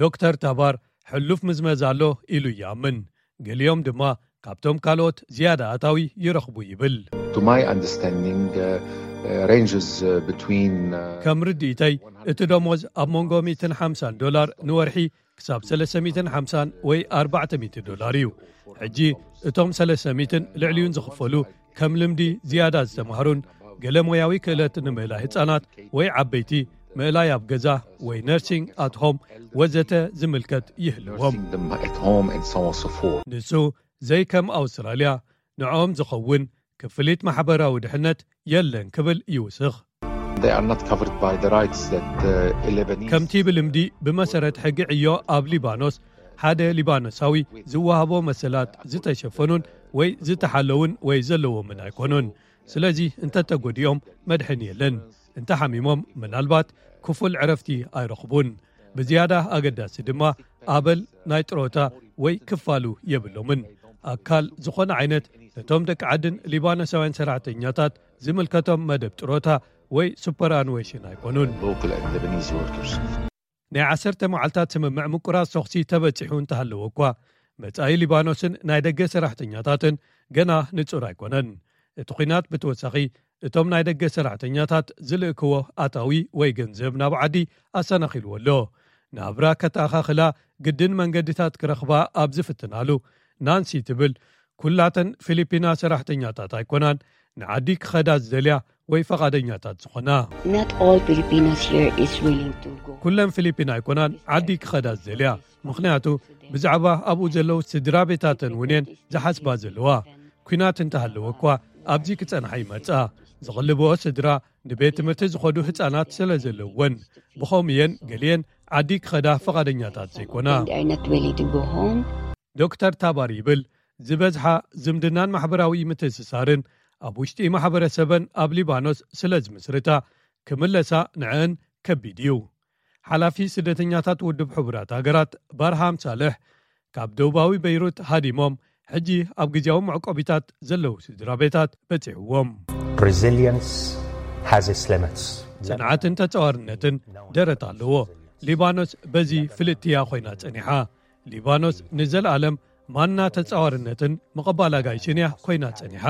ዶክተር ታባር ሕሉፍ ምዝመዛ ኣሎ ኢሉ ይኣምን። ገሊኦም ድማ ካብቶም ካልኦት ዝያዳ ኣታዊ ይረኽቡ ይብል። To my understanding, uh, uh, ranges uh, between uh, ከም ርድኢተይ እቲ ደሞዝ ኣብ መንጎ ሚእትን ሓምሳን ዶላር ንወርሒ ክሳብ ሰለስተ ሚእትን ሓምሳን ወይ ኣርባዕተ ሚእቲ ዶላር እዩ። ሕጂ እቶም ሰለስተ ሚእትን ልዕሊኡን ዝኽፈሉ ከም ልምዲ ዝያዳ ዝተማህሩን ገለ ሞያዊ ክእለት ንምእላይ ህጻናት ወይ ዓበይቲ ምእላይ ኣብ ገዛ ወይ nursing at home ወዘተ ዝምልከት ይህልዎም። Nursing them at home and so on and so forth. ንሱ ዘይከም ኣውስትራልያ ንዕኦም ዝኸውን ክፍሊት ማሕበራዊ ድሕነት የለን ክብል ይውስኽ። They are not covered by the rights that uh, Lebanese ከምቲ ብልምዲ ብመሰረት ሕጊ ዕዮ ኣብ ሊባኖስ ሓደ ሊባኖሳዊ ዝወሃቦ መሰላት ዝተሸፈኑን ወይ ዝተሓለውን ወይ ዘለዎምን ኣይኮኑን። ስለዚ እንተተጎዲኦም መድሕን የለን። እንተሓሚሞም ምናልባት ክፉል ዕረፍቲ ኣይረኽቡን። ብዝያዳ ኣገዳሲ ድማ ኣበል ናይ ጥሮታ ወይ ክፋሉ የብሎምን። ኣካል ዝኾነ ዓይነት ነቶም ደቂ ዓድን ሊባኖሳውያን ሰራሕተኛታት ዝምልከቶም መደብ ጥሮታ ወይ superannuation ኣይኮኑን። Local and Lebanese workers. ናይ ዓሰርተ መዓልታት ስምምዕ ምቁራጽ ተኹሲ ተበጺሑ እንተሃለወ እኳ መጻኢ ሊባኖስን ናይ ደገ ሰራሕተኛታትን ገና ንጹር ኣይኮነን። እቲ ኲናት ብተወሳኺ እቶም ናይ ደገ ሰራሕተኛታት ዝልእክዎ ኣታዊ ወይ ገንዘብ ናብ ዓዲ ኣሰናኺልዎ ኣሎ። ናብራ ከተኣኻኽላ ግድን መንገድታት ክረኽባ ኣብ ዝፍትናሉ ናንሲ ትብል ኩላተን ፊሊፒና ሰራሕተኛታት ኣይኮናን ንዓዲ ክኸዳ ዝደልያ ወይ ፈቓደኛታት ዝኾና። Not all Filipinos here is willing to go. ኩለን ፊሊፒን ኣይኮናን ዓዲ ክኸዳ ዝደልያ። ምኽንያቱ ብዛዕባ ኣብኡ ዘለዉ ስድራ ቤታተን እውን እየን ዝሓስባ ዘለዋ። ኲናት እንተሃለወ እኳ ኣብዚ ክጸንሓ ይመጻ። ዝቕልብኦ ስድራ ንቤት ትምህርቲ ዝኸዱ ህጻናት ስለ ዘለውወን ብኸምኡ እየን ገሊአን ዓዲ ክኸዳ ፈቓደኛታት ዘይኮና። They are not willing to go home. ዶክተር ታባር ይብል ዝበዝሓ ዝምድናን ማሕበራዊ ምትእስሳርን ኣብ ውሽጢ ማሕበረሰበን ኣብ ሊባኖስ ስለ ዝምስርታ ክምለሳ ንዕን ከቢድ እዩ። ሓላፊ ስደተኛታት ውድብ ሕቡራት ሃገራት ባርሃም ሳልሕ ካብ ደቡባዊ በይሩት ሃዲሞም ሕጂ ኣብ ግዜያዊ መዕቆቢታት ዘለዉ ስድራ ቤታት በጺሕዎም። Resilience has its limits. ጽንዓትን ተጻዋርነትን ደረት ኣለዎ። ሊባኖስ በዚ ፍልጥትያ ኮይና ጸኒሓ። ሊባኖስ ንዘለኣለም ማና ተጻዋርነትን ምቕባል ኣጋይሽን እያ ኮይና ጸኒሓ።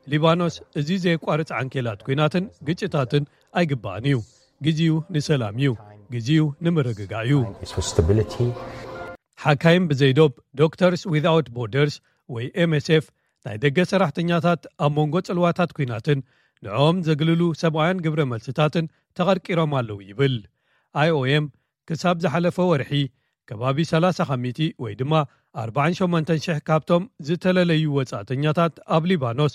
ሊባኖስ እዚ ዘየቋርጽ ዓንኬላት ኲናትን ግጭታትን ኣይግባእን እዩ። ግዜኡ ንሰላም እዩ። ግዜኡ ንምርግጋእ እዩ። It's for stability. ሓካይም ብዘይዶብ ዶክተርስ ዊዛውት ቦርደርስ ወይ M S F ናይ ደገ ሰራሕተኛታት ኣብ መንጎ ጽልዋታት ኲናትን ንዕኦም ዘግልሉ ሰብኣውያን ግብረ መልስታትን ተቐርቂሮም ኣለዉ ይብል። I O M ክሳብ ዝሓለፈ ወርሒ ከባቢ ሰላሳ ካብ ሚእቲ ወይ ድማ ኣርባዓን ሸሞንተን ሽሕ ካብቶም ዝተለለዩ ወጻእተኛታት ኣብ ሊባኖስ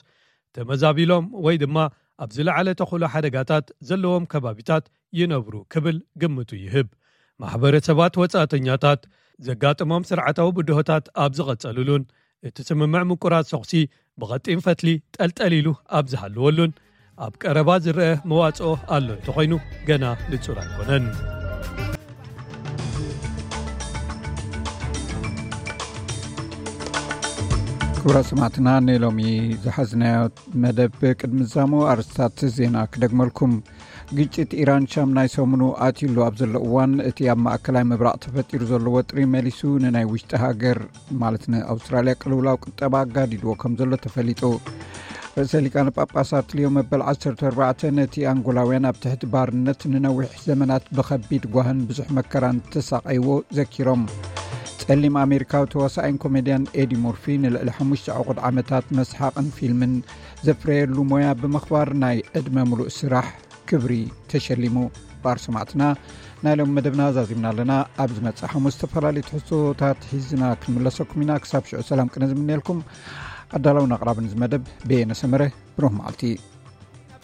ተመዛቢሎም ወይ ድማ ኣብ ዝለዓለ ተኽእሎ ሓደጋታት ዘለዎም ከባቢታት ይነብሩ ክብል ግምቱ ይህብ። ማሕበረሰባት ወጻእተኛታት ዘጋጥሞም ስርዓታዊ ብድሆታት ኣብ ዝቐጸልሉን እቲ ስምምዕ ምቁራጽ ተኹሲ ብቐጢን ፈትሊ ጠልጠል ኢሉ ኣብ ዝሃለወሉን ኣብ ቀረባ ዝረአ መዋጽኦ ኣሎ እንተኾይኑ ገና ንጹር ኣይኮነን። ክቡራት ሰማዕትና፣ ንሎሚ ዝሓዝናዮ መደብ ቅድሚ ዛሞ ኣርስታት ዜና ክደግመልኩም። ግጭት ኢራን ሻም ናይ ሰሙኑ ኣትዩሉ ኣብ ዘሎ እዋን፣ እቲ ኣብ ማእከላይ ምብራቕ ተፈጢሩ ዘሎ ወጥሪ መሊሱ ንናይ ውሽጢ ሃገር ማለት ንኣውስትራልያ ቅልውላው ቁጠባ ኣጋዲድዎ ከም ዘሎ ተፈሊጡ። ርእሰ ሊቃነ ጳጳሳት ሊዮ መበል ዓሰርተ ኣርባዕተ ነቲ ኣንጎላውያን ኣብ ትሕቲ ባርነት ንነዊሕ ዘመናት ብኸቢድ ጓህን ብዙሕ መከራን ተሳቐይዎ ዘኪሮም። ጸሊም ኣሜሪካዊ ተዋሳኣይን ኮሜድያን ኤዲ ሞርፊ ንልዕሊ ሓሙሽተ ዕቑድ ዓመታት መስሓቕን ፊልምን ዘፍረየሉ ሞያ ብምኽባር ናይ ዕድመ ምሉእ ስራሕ ክብሪ ተሸሊሙ። ባር ሰማዕትና፣ ናይ ሎም መደብና ዛዚምና ኣለና። ኣብ ዝመጽእ ሓሙስ ዝተፈላለዩ ትሕዝቶታት ሒዝና ክንምለሰኩም ኢና። ክሳብ ሽዑ ሰላም ቅነ ዝምነየልኩም። ኣዳላውን ኣቕራብን እዚ መደብ በየነ ሰመረ። ብሩህ መዓልቲ።